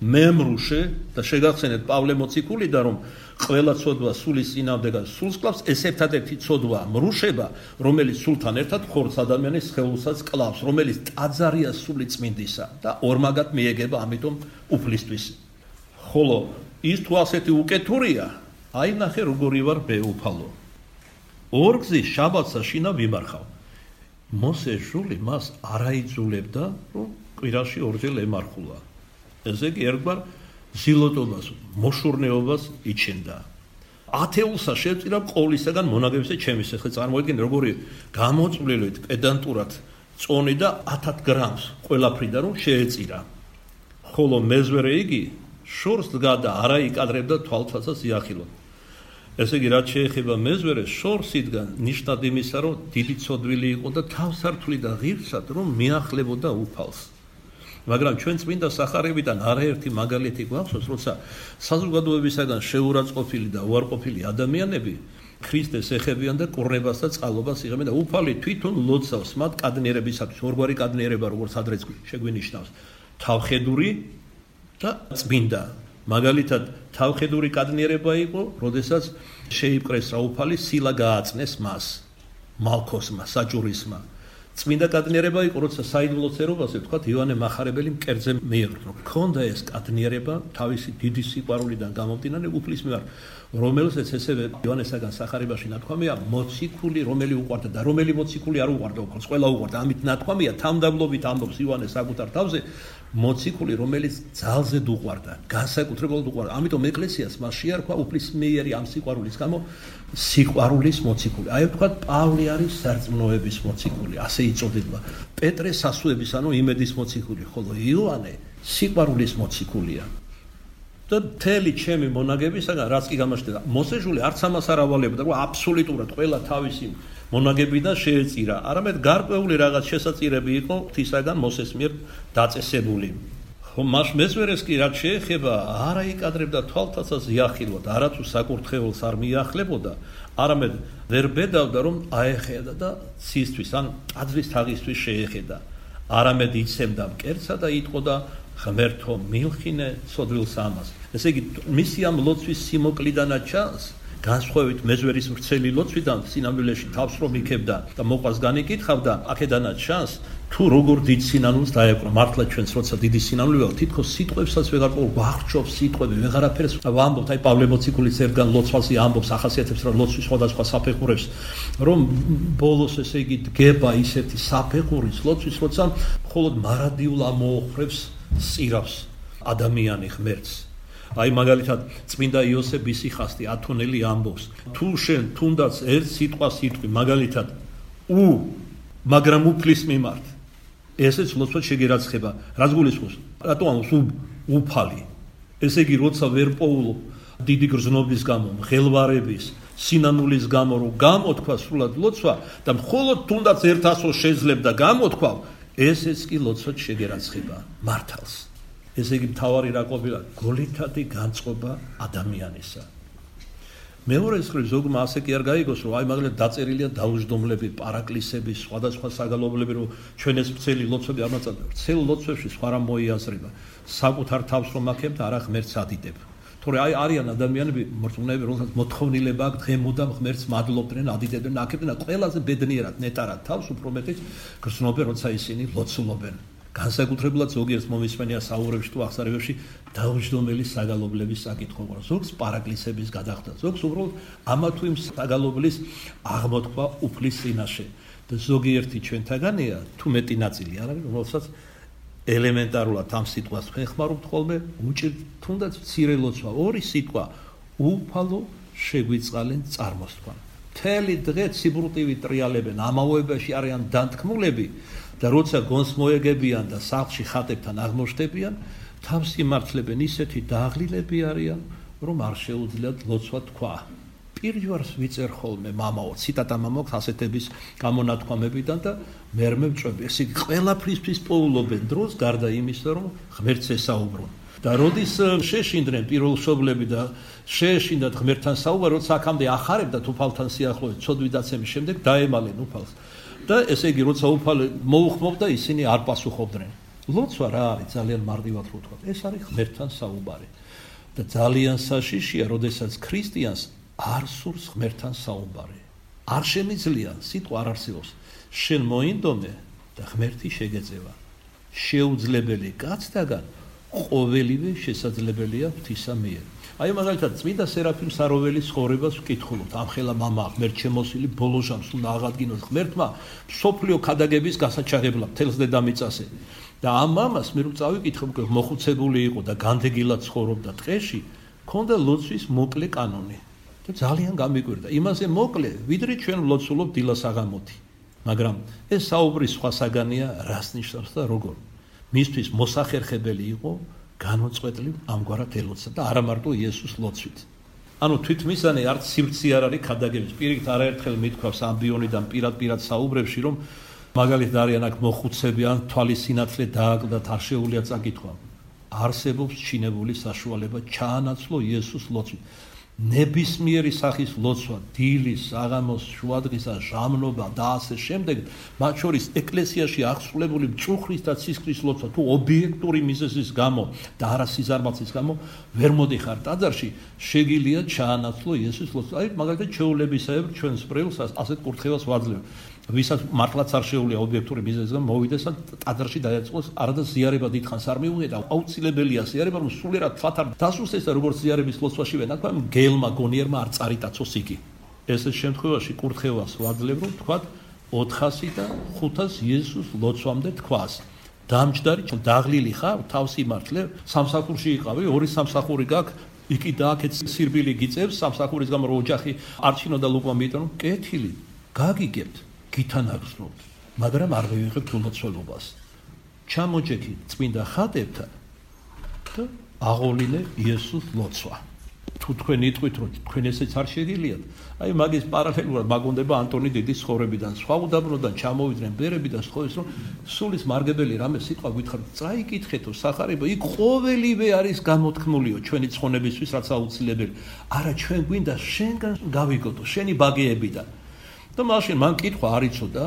მემრუშე და შეგახსენეთ პავლე მოციქულიდან რომ ყველა ცოდვა სულის წინააღმდეგად სულს კლავს, ეს ერთადერთი ცოდვა მრუშება, რომელიც სულთან ერთად ხორცს ადამიანის სხეულსაც კლავს, რომელიც ტაძარია სული წმინდისა და ორმაგად მიეგება ამიტომ უფლისთვის. ხოლო ის თუ ასეთი უკეთურია, აი ნახე როგორი ვარ მე უფალო. ორგზის შაბათსა შინა ვიმარხავ. მოსე ჟული მას არაიძულებდა, რომ კვირაში ორჯერ ემარხულა. ესე იგი ერთგვარ ზილოტობას, მოშურნეობას იჩენდა. ათეულსა შეწირა ყოვლისაგან მონაგებისა ჩემის. ახლა წარმოიდგინე როგორი გამოწვლილით პედანტურად წონი და ათად გრამს ყველაფრიდან რომ შეეწირა. ხოლო მეზვერე იგი შორს დგა და არა იკადრებდა თვალთვასაც იახილო. ესე იგი რაც შეეხება მეზვერეს, შორს იდგა ნიშნად იმისა, რომ დიდი ცოდვილი იყო და თავსართული და ღირსად რომ მიახლებოდა უფალს. მაგრამ ჩვენ წმინდა სახარებიდან არაერთი მაგალითი გვახსოვს, როცა საზოგადოებისაგან შეურაცხყოფილი და უარყოფილი ადამიანები ქრისტეს ეხებიან და კურნებას და წყალობას იღებენ და უფალი თვითონ ლოცავს მათ კადნიერებისათვის. ორგვარი კადნიერება, როგორც ადრეც შეგვინიშნავს, თავხედური და წმინდა. მაგალითად, თავხედური კადნიერება იყო, როდესაც შეიპყრეს რა უფალი, სილა გააწნეს მას, მალქოსმა, საჭურისმა. წმინდა კადნიერება იყო, როცა საიდუმლო ცერობაზე ვთქვათ, იოანე მახარებელი მკერდზე მიეღრა. ქონდა ეს კადნიერება თავისი დიდი სიყვარულიდან გამომდინარე უფლის მიმართ, რომელსაც ესევე იოანესაგან სახარებაში ნათქვამია, მოციქული, რომელი უყვარდა და რომელი მოციქული არ უყვარდა, უბრალოდ ყველა უყვარდა. ამით ნათქვამია, თამდაბლობით ამბობს იოანე საკუთარ თავზე, მოციქული, რომელიც ძალზედ უყვარდა, განსაკუთრებულად უყვარდა. ამიტომ ეკლესიას მას შეარქვა უფლისმიერი ამ სიყვარულის გამო სიყვარულის მოციქული. აი ვთქვათ, პავლე არის სარწმუნოების მოციქული, ასე იწოდება. პეტრე სასუების, ანუ იმედის მოციქული, ხოლო იოანე სიყვარულის მოციქულია. და მთელი ჩემი მონაგებისაგან რაც კი გამოჩნდა, მოსეჟული არც ამას არ ავალებდა, რომ აბსოლუტურად ყველა თავისი მონაგებიდან შეეწირა, არამედ გარკვეული რაღაც შესაწირები იყო ღვთისაგან მოსეს მიერ დაწესებული. ხო, მას მეზვერეს კი რაც შეეხება, არა იკადრებდა თვალთასაც იახილვად, არათუ საკურთხეველს არ მიახლებოდა, არამედ ვერ ბედავდა, რომ აეხედა და ცისთვის, ან ტაძრის თაღისთვის შეეხედა, არამედ იცემდა მკერდსა და იტყოდა ღმერთო მილხინე ცოდვილს ამას. ესე იგი, მისი ამ ლოცვის სიმოკლიდანაც ჩანს, განსხვავებით მეზვერის ვრცელი ლოცვიდან სინამდვილეში თავს რომ იქებდა და მოყვას განიკითხავდა, აქედანაც ჩანს თუ როგორ დიდ სინანულს დაეკრა. მართლა ჩვენც როცა დიდი სინანული ვარ, თითქოს სიტყვებსაც ვეღარ ვახრჩობს სიტყვები, ვეღარაფერს ვამბობთ. აი პავლე მოციქულის ერთგან ლოცვაზე ამბობს, ახასიათებს რა ლოცვის სხვადასხვა საფეხურებს, რომ ბოლოს ესე იგი დგება ისეთი საფეხურის ლოცვის, როცა მხოლოდ მარადიულ ამოოხრებს სირავს ადამიანი ღმერთს. აი მაგალითად წმინდა იოსებ ისიხასტი ათონელი ამბობს, თუ შენ თუნდაც ერთ სიტყვას იტყვი, მაგალითად უ, მაგრამ უფლის მიმართ, ესეც ლოცვად შეგერაცხება. რაც გულისხმობს, რატო ამბობს უ, უფალი. ესე იგი, როცა ვერ პოულობ დიდი გრძნობის გამო, მღელვარების, სინანულის გამო, რომ გამოთქვა სრულად ლოცვა და მხოლოდ თუნდაც ერთ ასოს შეძლებდა გამოთქვავ, ესეც კი ლოცვად შეგერაცხება მართალს. ესე იგი, მთავარი რა ყოფილა? გოლითადი განწყობა ადამიანისა. მეორე მხრივ ზოგმა ასე კი არ გაიგოს, რომ აი მაგალითად დაწერილია დაუჯდომლები, პარაკლისები, სხვადასხვა საგალობლები, რომ ჩვენეს ვრცელი ლოცვები არ მაწადდება. ვრცელ ლოცვებში სხვა რამ მოიაზრება. საკუთარ თავს რომ აქებ და არა ღმერთს ადიდებ. თორე აი არიან ადამიანები, მორწმუნეები, რომელსაც მოთხოვნილება აქვს დღემოდამ ღმერთს მადლობდნენ, ადიდებდნენ, აქებდნენ და ყველაზე ბედნიერად, ნეტარად თავს უფრო მეტიც გრძნობენ, როცა ისინი ლოცულობენ. განსაკუთრებულად ზოგიერთ მომისმენია საუბრებში თუ აღსარებებში დაუჯდომელი საგალობლების საკითხი. ზოგს პარაკლისების გადახდა, ზოგს უბრალოდ ამა თუ იმ საგალობლის აღმოთქვა უფლის წინაშე. და ზოგიერთი ჩვენთაგანია, თუ მეტი ნაწილი არ არის, რომელსაც ელემენტარულად ამ სიტყვას ხეხმარობთ ხოლმე, უჭირთ თუნდაც მცირე ლოცვა, ორი სიტყვა, უფალო შეგვიწყალენ წარმოსთქვა. მთელი დღე ციბრუტივი ტრიალებენ, ამავეობაში არიან დანთქმულები და როცა გონს მოეგებიან და სახლში ხატებთან აღმოჩნდებიან, თავს იმართლებენ ისეთი დაღლილები არიან, რომ არ შეუძლიათ ლოცვა თქვა. პირჯვარს ვიწერ ხოლმე მამაო, ციტატა მამაქვს ასეთების გამონათქვამებიდან და მერმე ვწვევი. ესე იგი ყველაფრისთვის პოულობენ დროს გარდა იმისა, რომ ღმერთს ესაუბრონ. და როდის შეეშინდნენ პირველშობლები და შეეშინდათ ღმერთთან საუბარი, როცა აქამდე ახარებდათ უფალთან სიახლოვეს, ცოდვიდაცემის შემდეგ დაემალენ უფალს. და ესე იგი როცა უფალი მოუხმობდა, ისინი არ პასუხობდნენ. ლოცვა რა არის? ძალიან მარტივად რო ვთქვა. ეს არის ღმერთთან საუბარი. და ძალიან საშიშია, როდესაც ქრისტიანს არ სურს ღმერთთან საუბარი. არ შემიძლია, სიტყვა არ არსებობს. შენ მოინდომე და ღმერთი შეგეწევა. შეუძლებელი კაცთაგან ყოველივე შესაძლებელია ღვთისა მიერ. აი მაგალითად წმინდა სერაფიმ საროველის ცხოვრებას ვკითხულობთ. ამხელა მამა ღმერთ შემოსილი ბოლო ჟამს უნდა აღადგინოს ღმერთმა სოფლიო ქადაგების გასაჩაღებლად თელს დედამიწაზე. და ამ მამას მე რომ წავიკითხე, მოხუცებული იყო და განდეგილად ცხოვრობდა ტყეში, ქონდა ლოცვის მოკლე კანონი. და ძალიან გამიკვირდა. იმაზე მოკლე, ვიდრე ჩვენ ვლოცულობ დილას აღამოთი. მაგრამ ეს საუბრის სხვა საგანია, რას ნიშნავს და როგორ. მისთვის მოსახერხებელი იყო განუწყვეტლივ ამგვარად ელოცა და არა მარტო იესოს ლოცვით. ანუ თვითმისანი არც სივრცე არ არის ქადაგების. პირიქით არაერთხელ მithქვავს ამბიონიდან პირად-პირად საუბრებში, რომ მაგალითად არიან აქ მოხუცები ან თვალის სინათლე დააკლდათ, არ შეუძლია წაკითხვა. არსებობს ჩინებული საშუალება ჩაანაცვლო იესოს ლოცვით. ნებისმიერი სახის ლოცვა, დილის, საღამოს, შუადღისა, ჟამნობა და ასე შემდეგ, მათ შორის ეკლესიაში აღსრულებული მწუხრის და ცისკრის ლოცვა, თუ ობიექტური მიზეზის გამო და არა სიზარმაცის გამო ვერ მოდიხარ ტაძარში, შეგიძლია ჩაანაცვლო იესოს ლოცვა. აი, მაგალითად, ჩვეულებისებრ ჩვენს პრილს ასეთ კურთხევას ვაძლევ. ვისაც მართლაც არ შეუძლია ობიექტური მიზეზის გამო მოვიდეს და ტაძარში დაეწყოს, არადა ზიარება დიდხანს არ მიუღია, აუცილებელია ზიარება, რომ სულიერად თვათ არ დასუსტეს და როგორც ზიარების ლოცვაშივე ნაქვამი გელმა გონიერმა არ წარიტაცოს იგი. ესეთ შემთხვევაში კურთხევას ვაძლევ, რომ თქვათ ოთხასი და ხუთას იესოს ლოცვამდე თქვას. დამჯდარი დაღლილი ხარ, თავს იმართლე, სამსახურში იყავი, ორი სამსახური გაქვს, იქი და აქეთ სირბილი გიწევს, სამსახურის გამო რო ოჯახი არჩინო და ლუკვა მიიტანო, კეთილი, გაგიგებთ. გითანაგზნობთ, მაგრამ არ მივიღებთ ულოცველობას. ჩამოჯექით წმინდა ხატებთან და აღოვლინე იესოს ლოცვა. თუ თქვენ იტყვით, რომ თქვენ ესეც არ შეგიძლიათ, აი მაგის პარალელურად მაგონდება ანტონი დიდის ცხოვრებიდან, სხვა უდაბნოდან ჩამოვიდნენ ბერები და სწოეს, რომ სულის მარგებელი რამე სიტყვა გითხარით, წაიკითხეთო სახარება, იქ ყოველივე არის გამოთქმულიო ჩვენი ცხონებისთვის, რაც აუცილებელი. არა, ჩვენ გვინდა შენგან გავიგოდო, შენი ბაგეებიდან. და მაშინ მან კითხვა არ იცოდა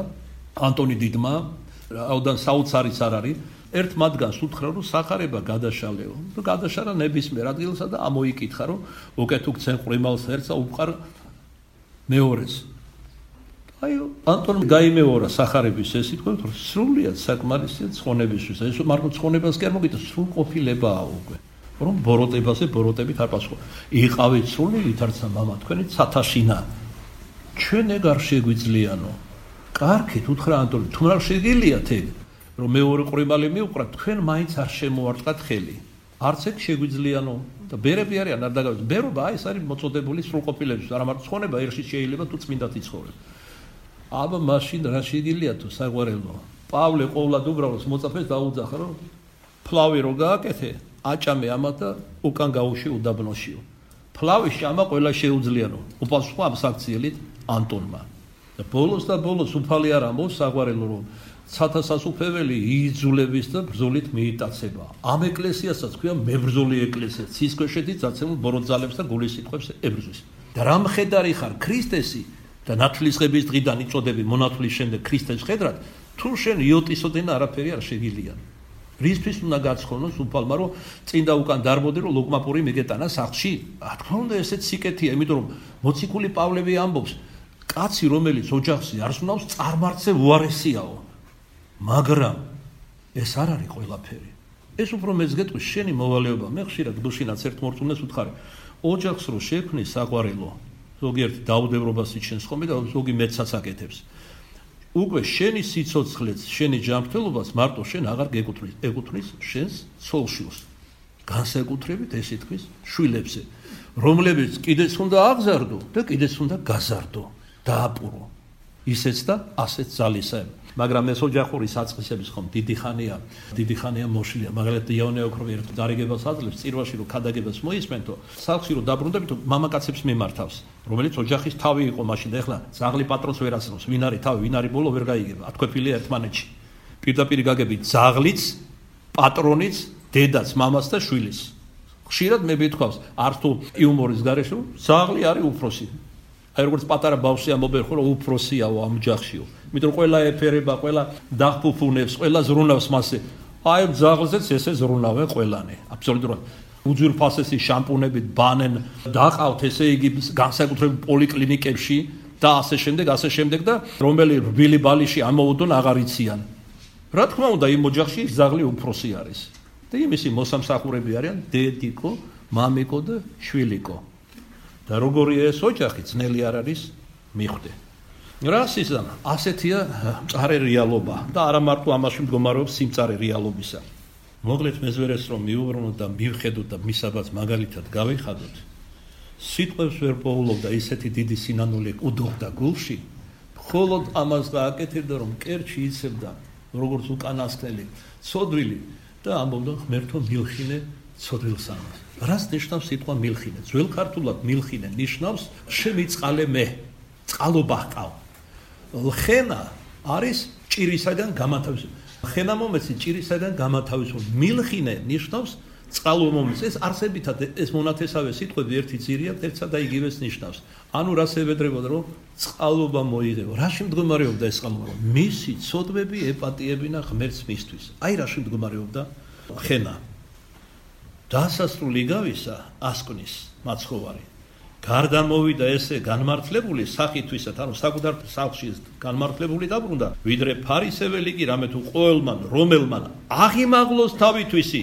ანტონი დიდმა, რაოდან საოცარიც არ არის, ერთ მათგანს უთხრა, რომ სახარება გადაშალეო. და გადაშალა ნებისმიერ ადგილსა და ამოიკითხა, რომ უკეთ უქცენ ყრიმალს ერთსა უყარ მეორეს. აი ანტონი გაიმეორა სახარების ეს სიტყვა, რომ სრულიად საკმარისია ცხონებისთვის. ეს მარტო ცხონებას კი არ მოგიტო, სრულყოფილებაა უკვე. რომ ბოროტებაზე ბოროტებით არ პასუხო. იყავით სრული ვითარცა მამა თქვენი ცათაშინა. ჩვენ ეგ არ შეგვიძლიანო. კარგით უთხრა ანტონი, თუ რა შეგიძლიათ ეგ, რომ მეორე ყრიმალი მიუყრათ, თქვენ მაინც არ შემოარტყათ ხელი. არც ეგ შეგვიძლიანო და ბერები არიან არ დაგავიწყოთ. ბერობა აი ეს არის მოწოდებული სრულყოფილების, არა მარტო ცხონება ერში შეიძლება თუ წმინდად იცხოვრებ. აბა მაშინ რა შეგიძლია თუ საყვარელო. პავლე ყოვლად უბრალოდ მოწაფეს დაუძახა, რომ ფლავი რო გააკეთე, აჭამე ამათ და უკან გაუში უდაბნოშიო. ფლავის ჭამა ყველა შეუძლიანო. უპასუხა ამ საქციელით ანტონმა. და ბოლოს და ბოლოს უფალი არ ამბობს საყვარელო, რომ ცათასასუფეველი იძულების და ბრძოლით მიიტაცება. ამ ეკლესიასაც ქვია მებრძოლი ეკლესია. ცისქვეშეთის დაცემულ ბოროტ ძალებს და გულის სიტყვებს ებრძვის. და რა მხედარი ხარ ქრისტესი და ნათლისღების დღიდან იწოდები მონათლის შემდეგ ქრისტეს ხედრად, თუ შენ იოტისოდენ არაფერი არ შეგილია. რისთვის უნდა გაცხონოს უფალმა, რომ წინ და უკან დარბოდე, რომ ლოკმაპური მიგეტანა სახლში? რა თქმა უნდა, ესეც სიკეთეა, იმიტომ რომ მოციქული პავლე ამბობს, კაცი რომელიც ოჯახში არ სუნავს, წარმართზე უარესიაო. მაგრამ ეს არ არის ყველაფერი. ეს უფრო მეც გეტყვის შენი მოვალეობა. მე ხშირად გუშინაც ერთ მორწმუნეს ვუთხარი, ოჯახს რო შექმნის საყვარელო, ზოგიერთ დაუდევრობას იჩენს ხოლმე და ზოგი მეცაც აკეთებს. უკვე შენი სიცოცხლეც, შენი ჯანმრთელობას მარტო შენ აღარ გეკუთვნის, ეკუთვნის შენს ცოლშილს. განსაკუთრებით ესე თქვის შვილებზე, რომლებიც კიდეც უნდა აღზარდო და კიდეც უნდა გაზარდო, დააპურო. ისეც და ასეც ძალისაა. მაგრამ ეს ოჯახური საწყისების ხომ დიდი ხანია, დიდი ხანია მოშლია. მაგალითად იოანე ოქროვი ერთ დარიგებას აძლევს წირვაში, რომ ქადაგებას მოისმენთო, სახლში რომ დაბრუნდებითო, მამაკაცებს მიმართავს, რომელიც ოჯახის თავი იყო მაშინ და ეხლა ძაღლი პატრონს ვერ ასწრებს, ვინ არის თავი, ვინ არის ბოლო ვერ გაიგება. ათქვეფილია ერთმანეთში. პირდაპირ გაგებით ძაღლიც, პატრონიც, დედაც, მამას და შვილის. ხშირად მე მეთქვავს, არც თუ იუმორის გარეშე, რომ ძაღლი არის უფროსი. აი როგორც პატარა ბავშვი ამბობენ, ხო რომ უფროსიაო ამ ოჯახშიო. იმიტომ რომ ყველა ეფერება, ყველა დახფუფუნებს, ყველა ზრუნავს მასზე. აი ძაღლზეც ესე ზრუნავენ ყველანი. აბსოლუტურად უძვირფასესი შამპუნებით ბანენ, დაყავთ ესე იგი განსაკუთრებით პოლიკლინიკებში და ასე შემდეგ, ასე შემდეგ და რომელი რბილი ბალიში ამოუდონ აღარ იციან. რა თქმა უნდა, იმ ოჯახში ძაღლი უფროსი არის. და იმისი მოსამსახურები არიან დედიკო, მამიკო და შვილიკო. და როგორია ეს ოჯახი, ძნელი არ არის მიხვდე. რას იზამ, ასეთია მწარე რეალობა და არა მარტო ამაში მდგომარეობს სიმწარე რეალობისა. მოგლეთ მეზვერეს რომ მიუბრუნოთ და მივხედოთ და მისაბაც მაგალითად გავიხადოთ. სიტყვებს ვერ პოულობდა ისეთი დიდი სინანული უდოხდა გულში, მხოლოდ ამას გააკეთებდა რომ კერჩი იცებდა როგორც უკანასკნელი ცოდვილი და ამბობდა ღმერთო მილხინე ცოდვილს ამას. რას ნიშნავს სიტყვა მილხინე? ძველ ქართულად მილხინე ნიშნავს შემიწყალე მე, წყალობა ჰყავ. ლხენა არის ჭირისაგან გამათავისუფლება. ლხენა მომეცი ჭირისაგან გამათავისუფლება. მილხინე ნიშნავს წყალობა მომეცი. ეს არსებითად ეს მონათესავე სიტყვები ერთი ძირია, ერთსა და იგივეს ნიშნავს. ანუ რას ევედრებოდა რომ წყალობა მოიღეო. რაში მდგომარეობდა ეს წყალობა? მისი ცოდვები ეპატიებინა ღმერთს მისთვის. აი რაში მდგომარეობდა ლხენა. დასასრული გავისა ასკვნის მაცხოვარი. გარდა მოვიდა ესე განმართლებული სახითვისად, ანუ საკუთარ სახლში განმართლებული დაბრუნდა, ვიდრე ფარისეველი კი რამე თუ ყოველმან, რომელმან აღიმაღლოს თავითვისი,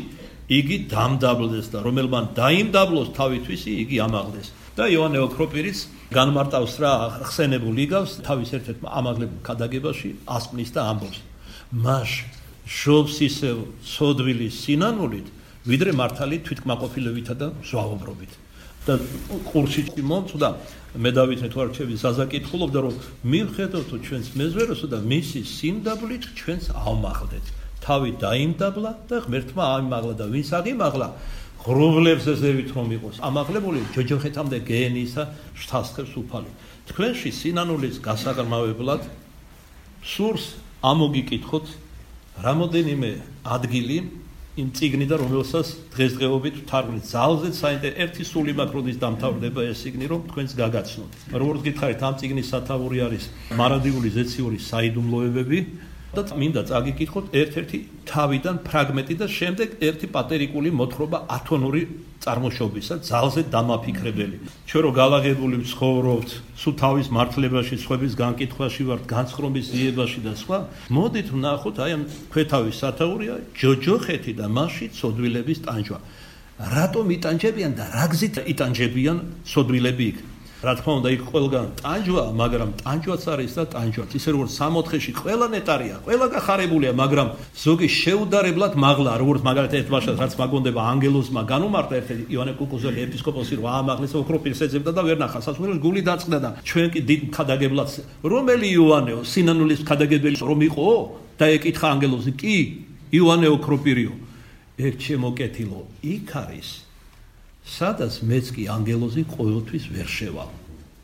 იგი დამდაბლდეს და რომელმან დაიმდაბლოს თავითვისი, იგი ამაღლდეს. და იოანე ოქროპირიც განმარტავს რა ხსენებულ იგავს თავის ერთ-ერთ ამაღლებულ ქადაგებაში ასკვნის და ამბობს. მას შობს ისევ ცოდვილი სინანულით, ვიდრე მართალი თვითკმაყოფილებითა და ზვავობრობით. და ყურში მომწვდა მე დავითნე თუ არ რჩები ზაზა კითხულობდა რომ მივხედოთ ჩვენს მეზვეროსო და მისი სიმდაბლით ჩვენს ავმაღლდეთ. თავი დაიმდაბლა და ღმერთმა აიმაღლა და ვინც აღიმაღლა ღრუბლებს ზევით რომ იყოს ამაღლებული ჯოჯოხეთამდე გეენისა შთასხებს უფალი. თქვენში სინანულის გასაღრმავებლად სურს ამოგიკითხოთ რამოდენიმე ადგილი იმ წიგნიდან რომელსაც დღესდღეობით თარგმნით ძალზედ საინტერესო ერთი სული მაკროდის დამთავრდება ეს წიგნი რომ თქვენს გაგაცნოთ. როგორც გითხარით ამ წიგნის სათაური არის მარადიული ზეციური საიდუმლოებები და მინდა წაგიკითხოთ ერთ-ერთი თავიდან ფრაგმენტი და შემდეგ ერთი პატერიკული მოთხრობა ათონური წარმოშობისა ძალზედ დამაფიქრებელი. ჩვენ რო გალაღებული ვცხოვრობთ, სულ თავის მართლებაში, სხვების განკითხვაში ვართ, განცხრომის იებაში და სხვა, მოდით ვნახოთ აი ამ ქვეთავის სათაურია ჯოჯოხეთი და მასში ცოდვილების ტანჯვა. რატომ იტანჯებიან და რა გზით იტანჯებიან ცოდვილები იქ? რა თქმა უნდა იქ ყველგან ტანჯვა, მაგრამ ტანჯვაც არის და ტანჯვაც. ისე როგორც სამოთხეში ყველა ნეტარია, ყველა გახარებულია, მაგრამ ზოგი შეუდარებლად მაღლა, როგორც მაგალითად ერთ ბაშას რაც მაგონდება ანგელოზმა განუმარტა ერთ-ერთი იოანე კუკუზელი ეპისკოპოსი რომ აამაღლეს ოქროპირს ეძებდა და ვერ ნახა. სასულიეროს გული დაწყდა და ჩვენ კი დიდ ქადაგებლად რომელი იოანეო სინანულის ქადაგებელი რომ იყო და ეკითხა ანგელოზი კი იოანე ოქროპირიო. ერთ შემოკეთილო იქ არის სადაც მეც კი ანგელოზი ყოველთვის ვერ შევალ.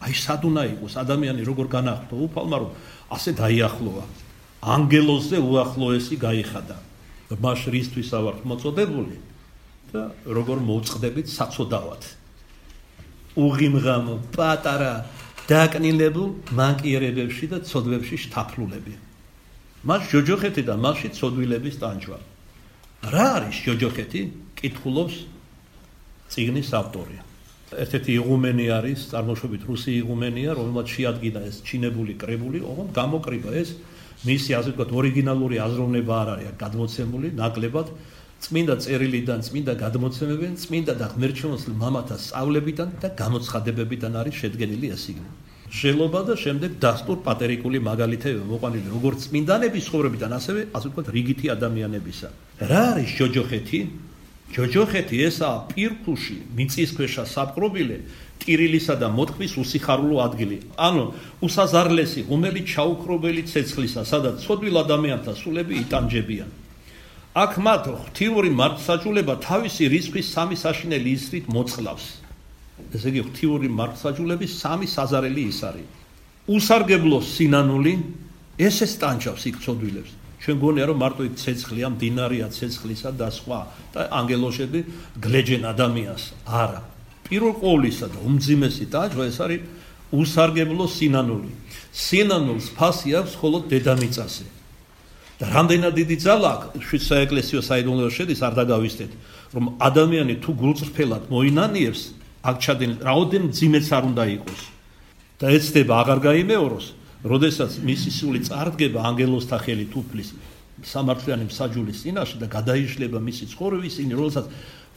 აი სად უნდა იყოს ადამიანი როგორ განახლო უფალმა რომ ასე დაიახლოა. ანგელოზზე უახლოესი გაიხადა. მას რისთვის ავართ მოწოდებული და როგორ მოვწყდებით საწოდავად. უღიმღამო, პატარა, დაკნილებულ მანკიერებებში და ცოდვებში შთაფლულები. მას ჯოჯოხეთი და მასში ცოდვილების ტანჯვა. რა არის ჯოჯოხეთი? კითხულობს წიგნის ავტორი. ერთ-ერთი იღუმენი არის, წარმოშობით რუსი იღუმენია, რომელმაც შეადგინა ეს ჩინებული კრებული, ოღონდ გამოკრიბა ეს მისი ასე ვთქვათ ორიგინალური აზროვნება არ არის გადმოცემული ნაკლებად წმინდა წერილიდან, წმინდა გადმოცემებიდან, წმინდა და ღმერთშემოსილ მამათა სწავლებიდან და გამოცხადებებიდან არის შედგენილი ეს წიგნი. ჟელობა და შემდეგ დასტურ პატერიკული მაგალითები მოყვანილი როგორც წმინდანების ცხოვრებიდან, ასევე ასე ვთქვათ რიგითი ადამიანებისა. რა არის ჯოჯოხეთი? ჯოჯოხეთი ესაა პირქუში, მიწისქვეშა საპყრობილე, ტირილისა და მოთქმის უსიხარულო ადგილი. ანუ უსაზარლესი ღუმელი ჩაუქრობელი ცეცხლისა, სადაც ცოდვილ ადამიანთა სულები იტანჯებიან. აქ მათ ღვთიური მართლსაჯულება თავისი რიცხვის სამი საშინელი ისრით მოწყლავს. ესე იგი ღვთიური მართლსაჯულების სამი საზარელი ის არის. უსარგებლო სინანული ესე სტანჯავს იქ ცოდვილებს. ჩვენ გონია რომ მარტო იქ ცეცხლია, მდინარეა ცეცხლისა და სხვა და ანგელოშები გლეჯენ ადამიანს. არა. პირველ ყოვლისა და უმძიმესი ტაჯვა ეს არის უსარგებლო სინანული. სინანულს ფასი აქვს მხოლოდ დედამიწაზე. და რამდენად დიდი ძალა აქვს შვიდ საეკლესიო საიდუმლოებაში შედის არ დაგავიწყდეთ, რომ ადამიანი თუ გულწრფელად მოინანიებს, აქ ჩადენილ რაოდენ მძიმეც არ უნდა იყოს. და ეცდება აღარ გაიმეოროს, როდესაც მისი სული წარდგება ანგელოზთა ხელით უფლის სამართლიანი მსაჯულის წინაშე და გადაიშლება მისი ცხოვრების წინ, როდესაც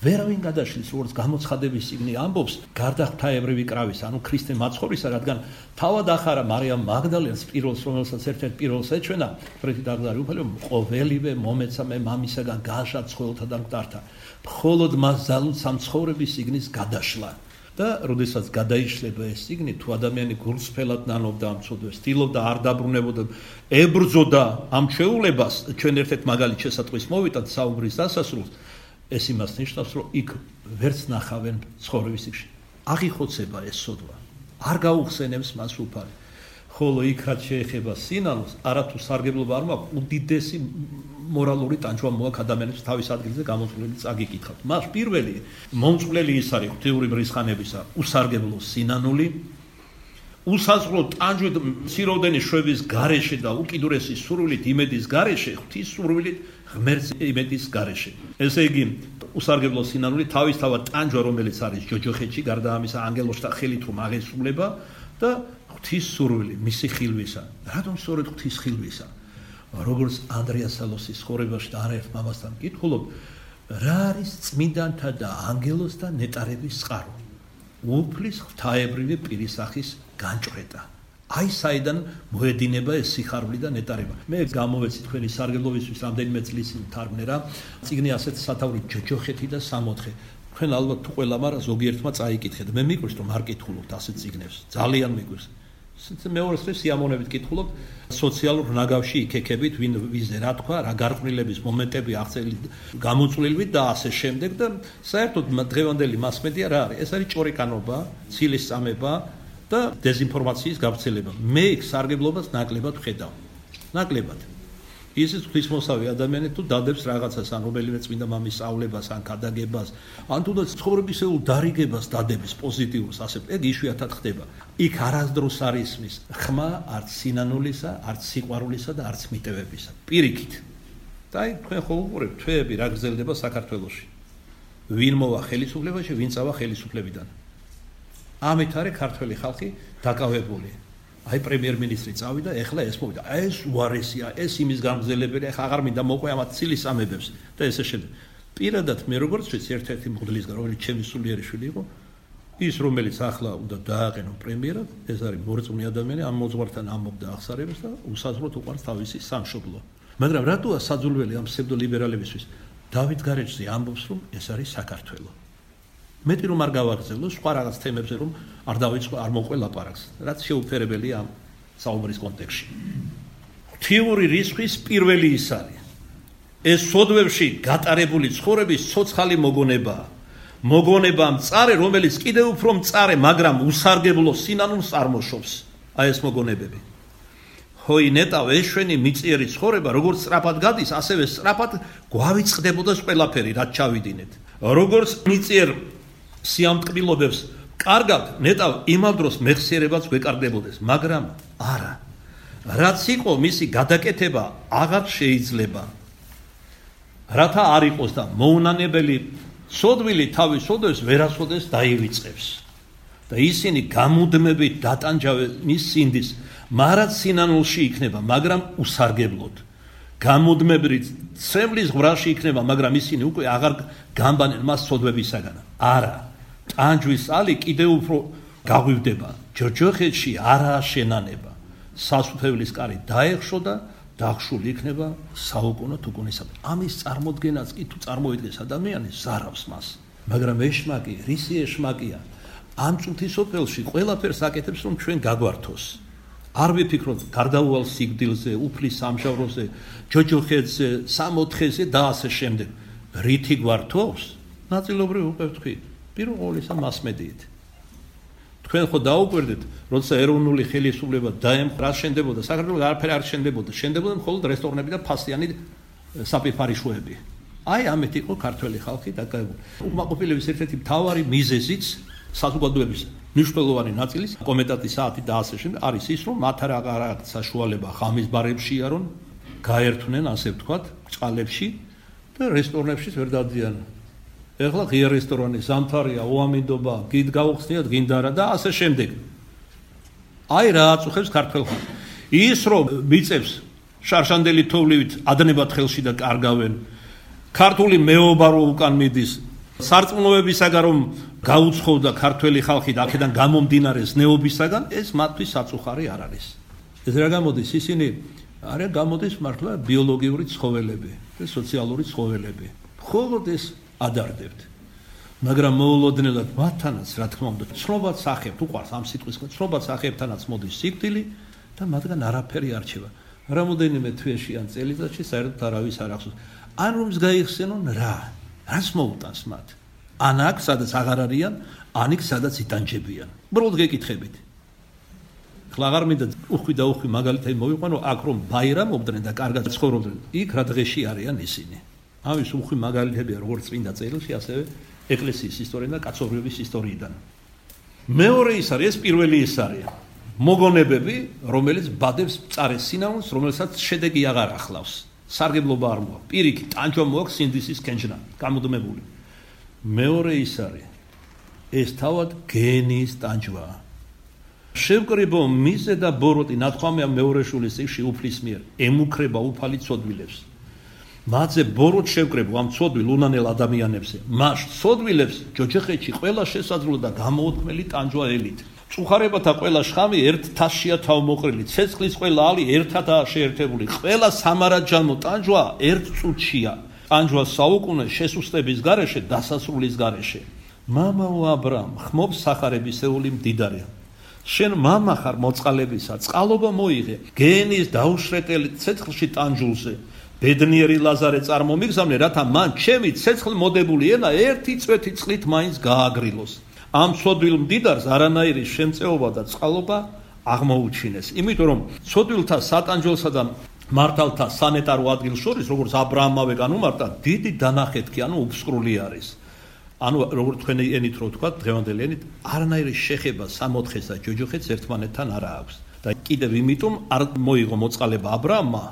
ვერავინ გადაშლის, როგორც გამოცხადების წიგნი ამბობს, გარდა ღვთაებრივი კრავის, ანუ ქრისტე მაცხოვრისა, რადგან თავად ახარა მარიამ მაგდალენს პირველს, რომელსაც ერთ-ერთ პირველს ეჩვენა, ფრეთი დაღდარი უფალო, ყოველივე მომეცა მე მამისაგან გაშა ცხოველთაგან მკვდართა. მხოლოდ მას ძალუც ამ ცხოვრების წიგნის გადაშლა. და როდესაც გადაიშლება ეს წიგნი, თუ ადამიანი გულწრფელად ნანობდა ამ ცოდვას, ცდილობდა არ დაბრუნებოდა, ებრძოდა ამ ჩვეულებას, ჩვენ ერთ-ერთ მაგალით შესატყვის მოვიტანთ საუბრის დასასრულს, ეს იმას ნიშნავს, რომ იქ ვერც ნახავენ ცხოვრების წიგნში. აღიხოცება ეს ცოდვა. არ გაუხსენებს მას უფალი. ხოლო იქ რაც შეეხება სინანულს, არათუ სარგებლობა არ მაქვს, უდიდესი მორალური ტანჯვა მოაქვს ადამიანებს თავის ადგილზე გამოწყვლელი წაგიკითხავთ. მას პირველი მომწყვლელი ის არის ღვთიური მრისხანებისა, უსარგებლო სინანული, უსაზღრო ტანჯვით მციროდენი შვების გარეშე და უკიდურესი სურვილით იმედის გარეშე, ღვთის სურვილით ღმერთს იმედის გარეშე. ესე იგი, უსარგებლო სინანული თავისთავად ტანჯვა, რომელიც არის ჯოჯოხეთში, გარდა ამისა ანგელოზთა ხელით რომ აღესრულება და ღვთის სურვილი, მისი ხილვისა. რატომ სწორედ ღვთის ხილვისა? როგორც ანდრია სალოსის ცხოვრებაში და არაერთ მამასთან კითხულობ, რა არის წმინდანთა და ანგელოზთა ნეტარების წყარო? უფლის ღვთაებრივი პირისახის განჭვრეტა. აი საიდან მოედინება ეს სიხარული და ნეტარება. მე გამოვეცი თქვენი სარგებლობისთვის რამდენიმე წლის წინ თარგმნე რა, წიგნი ასეთ სათაური ჯოჯოხეთი და სამოთხე. თქვენ ალბათ თუ ყველა, მაგრამ ზოგიერთმა წაიკითხეთ. მე მიყვარს რომ არ კითხულობთ ასეთ წიგნებს. ძალიან მიყვარს. მეორეს დღეს სიამოვნებით კითხულობ სოციალურ ნაგავში იქექებით, ვინ ვიზე რა თქვა, რა გარყვნილების მომენტები აღწერილი გამოწვლილვით და ასე შემდეგ და საერთოდ დღევანდელი მასმედია რა არის? ეს არის ჭორიკანობა, ცილის წამება და დეზინფორმაციის გავრცელება. მე იქ სარგებლობას ნაკლებად ვხედავ. ნაკლებად. ისიც ღვთისმოსავი ადამიანი თუ დადებს რაღაცას, ან რომელიმე წმინდა მამის სწავლებას, ან ქადაგებას, ან თუნდაც ცხოვრებისეულ დარიგებას დადების პოზიტიურს, ასე ეგ იშვიათად ხდება. იქ არასდროს არ ისმის ხმა არც სინანულისა, არც სიყვარულისა და არც მიტევებისა. პირიქით. და აი თქვენ ხო უყურებთ თვეები რა გრძელდება საქართველოში. ვინ მოვა ხელისუფლებაში, ვინ წავა ხელისუფლებიდან. ამით არის ქართველი ხალხი დაკავებული. აი პრემიერ-მინისტრი წავიდა, ეხლა ეს მოვიდა. ეს უარესია, ეს იმის გამგზელებელია, ეხლა აღარ მინდა მოყვე ამათ ცილის ამებებს და ესე შემდეგ. პირადად მე როგორც ვიცი ერთ-ერთი მღვდლისგან, რომელიც ჩემი სულიერი შვილი იყო, ის რომელიც ახლა უნდა დააყენო პრემიერად, ეს არის მორწმუნე ადამიანი, ამ მოძღვართან ამბობდა აღსარებას და უსაზღვროდ უყარს თავისი სამშობლო. მაგრამ რატოა საძულველი ამ ფსევდოლიბერალებისთვის? დავით გარეჯზე ამბობს, რომ ეს არის საქართველო. მეტი რომ არ გავაგრძელო სხვა რაღაც თემებზე რომ არ დავიწყო არ მოყვე ლაპარაკს რაც შეუფერებელია ამ საუბრის კონტექსტში. ღვთიური რიცხვის პირველი ის არის. ეს სოდვებში გატარებული ცხოვრების ცოცხალი მოგონებაა. მოგონება მწარე, რომელიც კიდევ უფრო მწარე, მაგრამ უსარგებლო სინანულს წარმოშობს. აი ეს მოგონებები. ჰოი ნეტავ ეშვენი მიწიერი ცხოვრება, როგორც სწრაფად გადის, ასევე სწრაფად გვავიწყდებოდა ყველაფერი, რაც ჩავიდინეთ. როგორც მიწიერ სიამტკბილობებს კარგად ნეტავ იმავ დროს მეხსიერებაც გვეკარგდებოდეს, მაგრამ არა. რაც იყო მისი გადაკეთება აღარ შეიძლება. რათა არ იყოს და მოუნანებელი სოდვილი თავის ოდოს ვერასოდეს დაივიწყებს. და ისინი გამუდმებით დატანჯავენ მის სინდის, მარად სინანულში იქნება, მაგრამ უსარგებლოდ. გამუდმებით ცემლის ღვრაში იქნება, მაგრამ ისინი უკვე აღარ გამბანენ მას სოდვებისაგან. არა, ტანჯვის ალი კიდევ უფრო გაღვივდება. ჯოჯოხეთში არაა შენანება. სასუფეველის კარი დაეხშო და დახშული იქნება საუკუნო თუკუნისად. ამის წარმოდგენაც კი თუ წარმოიდგეს ადამიანი ზარავს მას. მაგრამ ეშმაკი, რისი ეშმაკია? ამ წუთის სოფელში ყველაფერს აკეთებს, რომ ჩვენ გაგვართოს. არ ვიფიქროთ გარდაუვალ სიკვდილზე, უფლის სამჟავროზე, ჯოჯოხეთზე, სამოთხეზე და ასე შემდეგ. რითი გვართოს? ნაწილობრივ უკვე ვთქვი, პირველ ყოვლისა მასმედიით. თქვენ ხო დაუკვირდით, როცა ეროვნული ხელისუფლება დაემხო, რა შენდებოდა? საქართველოს არაფერი არ შენდებოდა. შენდებოდა მხოლოდ რესტორნები და ფასიანი საპიფარიშოები. აი ამით იყო ქართველი ხალხი დაკავებული. უკმაყოფილების ერთ-ერთი მთავარი მიზეზიც საზოგადოების მნიშვნელოვანი ნაწილის კომენტატის საათი და ასე შემდეგ არის ის, რომ მათ არ აქვს საშუალება ღამის ბარებშია, რომ გაერთვნენ, ასე ვთქვათ, წყალებში და რესტორნებშიც ვერ დადიან. ეხლა ღია რესტორანი, ზამთარია, ოამინდობა, გიდ გაუხსნიათ, გინდარა და ასე შემდეგ. აი რა აწუხებს ქართველ ხალხს. ის რომ მიწებს შარშანდელი თოვლივით ადნებად ხელში და კარგავენ. ქართული მეობა რო უკან მიდის, სარწმუნოებისაგან რომ გაუცხოვდა ქართველი ხალხი და აქედან გამომდინარე ზნეობისაგან, ეს მათთვის საწუხარი არ არის. ეს რა გამოდის? ისინი არა გამოდის მართლა ბიოლოგიური ცხოველები და სოციალური ცხოველები. მხოლოდ ეს ადარდებთ. მაგრამ მოულოდნელად მათთანაც, რა თქმა უნდა, ცნობად სახებთ, უყვარს ამ სიტყვის, ცნობად სახებთანაც მოდის სიკვდილი და მათგან არაფერი არ რჩება. რამოდენიმე თვეში ან წელიწადში საერთოდ არავის არ ახსოვს. ან რომს გაიხსენონ რა? რას მოუტანს მათ? ან აქ, სადაც აღარ არიან, ან იქ, სადაც იტანჯებიან. უბრალოდ გეკითხებით. ხლა აღარ მინდა უხვი და უხვი მაგალითად მოვიყვანო, აქ რომ ბაირამობდნენ და კარგად ცხოვრობდნენ, იქ რა დღეში არიან ისინი. ამის უხვი მაგალითებია როგორც წმინდა წერილში, ასევე ეკლესიის ისტორიიდან და კაცობრიობის ისტორიიდან. მეორე ის არის, ეს პირველი ის არის. მოგონებები, რომელიც ბადებს მწარეს სინაულს, რომელსაც შედეგი აღარ ახლავს. სარგებლობა არ მოაქვს. პირიქით, ტანჯვა მოაქვს სინდისის კენჭნა, გამუდმებული. მეორე ის არის, ეს თავად გენის ტანჯვაა. შევკრიბო მისე და ბოროტი, ნათქვამია მეორე შულის წიგნში უფლის მიერ, ემუქრება უფალი ცოდვილებს. მათზე ბოროტ შევკრებო ამ ცოდვილ უნანელ ადამიანებზე. მას ცოდვილებს ჯოჯოხეთში ყველა შესაძლო და გამოუთქმელი ტანჯვა ელით. წუხარებათა ყველა შხამი ერთ თასშია თავმოყრილი, ცეცხლის ყველა ალი ერთადაა შეერთებული, ყველა სამარაჯანმო ტანჯვა ერთ წუთშია. ტანჯვა საუკუნე შესუსტების გარეშე, დასასრულის გარეშე. მამაო აბრამ, ხმობს სახარებისეული მდიდარია. შენ მამა ხარ მოწყალებისა, წყალობა მოიღე, გენის დაუშრეტელი ცეცხლში ტანჯულზე. ბედნიერი ლაზარე წარმომიგზავნე, რათა მან ჩემი ცეცხლ მოდებული ენა ერთი წვეთი წყლით მაინც გააგრილოს. ამ ცოდვილ მდიდარს არანაირი შემწეობა და წყალობა აღმოუჩინეს. იმიტომ რომ ცოდვილთა სატანჯველსა და მართალთა სანეტარო ადგილ შორის, როგორც აბრაამავე განუმარტა, დიდი დანახეთქი, ანუ უფსკრული არის. ანუ როგორც თქვენი ენით რო ვთქვა, დღევანდელი ენით, არანაირი შეხება სამოთხეს და ჯოჯოხეთს ერთმანეთთან არ აქვს. და კიდევ იმიტომ არ მოიღო მოწყალება აბრაამმა,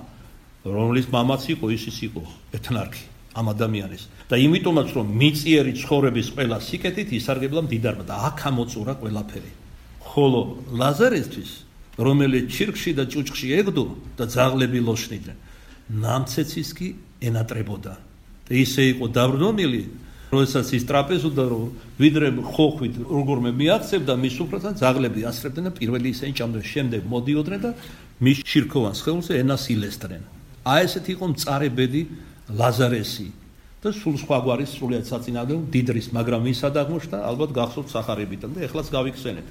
რომლის მამაც იყო, ისიც იყო ეთნარქი ამ ადამიანის. და იმიტომაც რომ მიწიერი ცხოვრების ყველა სიკეთით ისარგებლა მდიდარმა და აქ ამოწურა ყველაფერი. ხოლო ლაზარესთვის, რომელიც ჩირკში და ჭუჭყში ეგდო და ძაღლები ლოშნიდნენ, ნამცეცის კი ენატრებოდა. და ისე იყო დაბრდომილი, როდესაც ის ტრაპეზობდა, რომ ვიდრე ხოხვით როგორმე მიაღწევდა მის სუფრასთან, ძაღლები ასრებდნენ და პირველი ისინი ჭამდნენ, შემდეგ მოდიოდნენ და მის ჩირქოვან სხეულზე ენას ილესდნენ. აი ესეთ იყო მწარე ბედი ლაზარესი და სულ სხვა გვარის სრულიად საწინააღმდეგო დიდრის, მაგრამ ვინც ადაღმოჩნდა, ალბათ გახსოვთ სახარებიდან და ეხლაც გავიხსენეთ.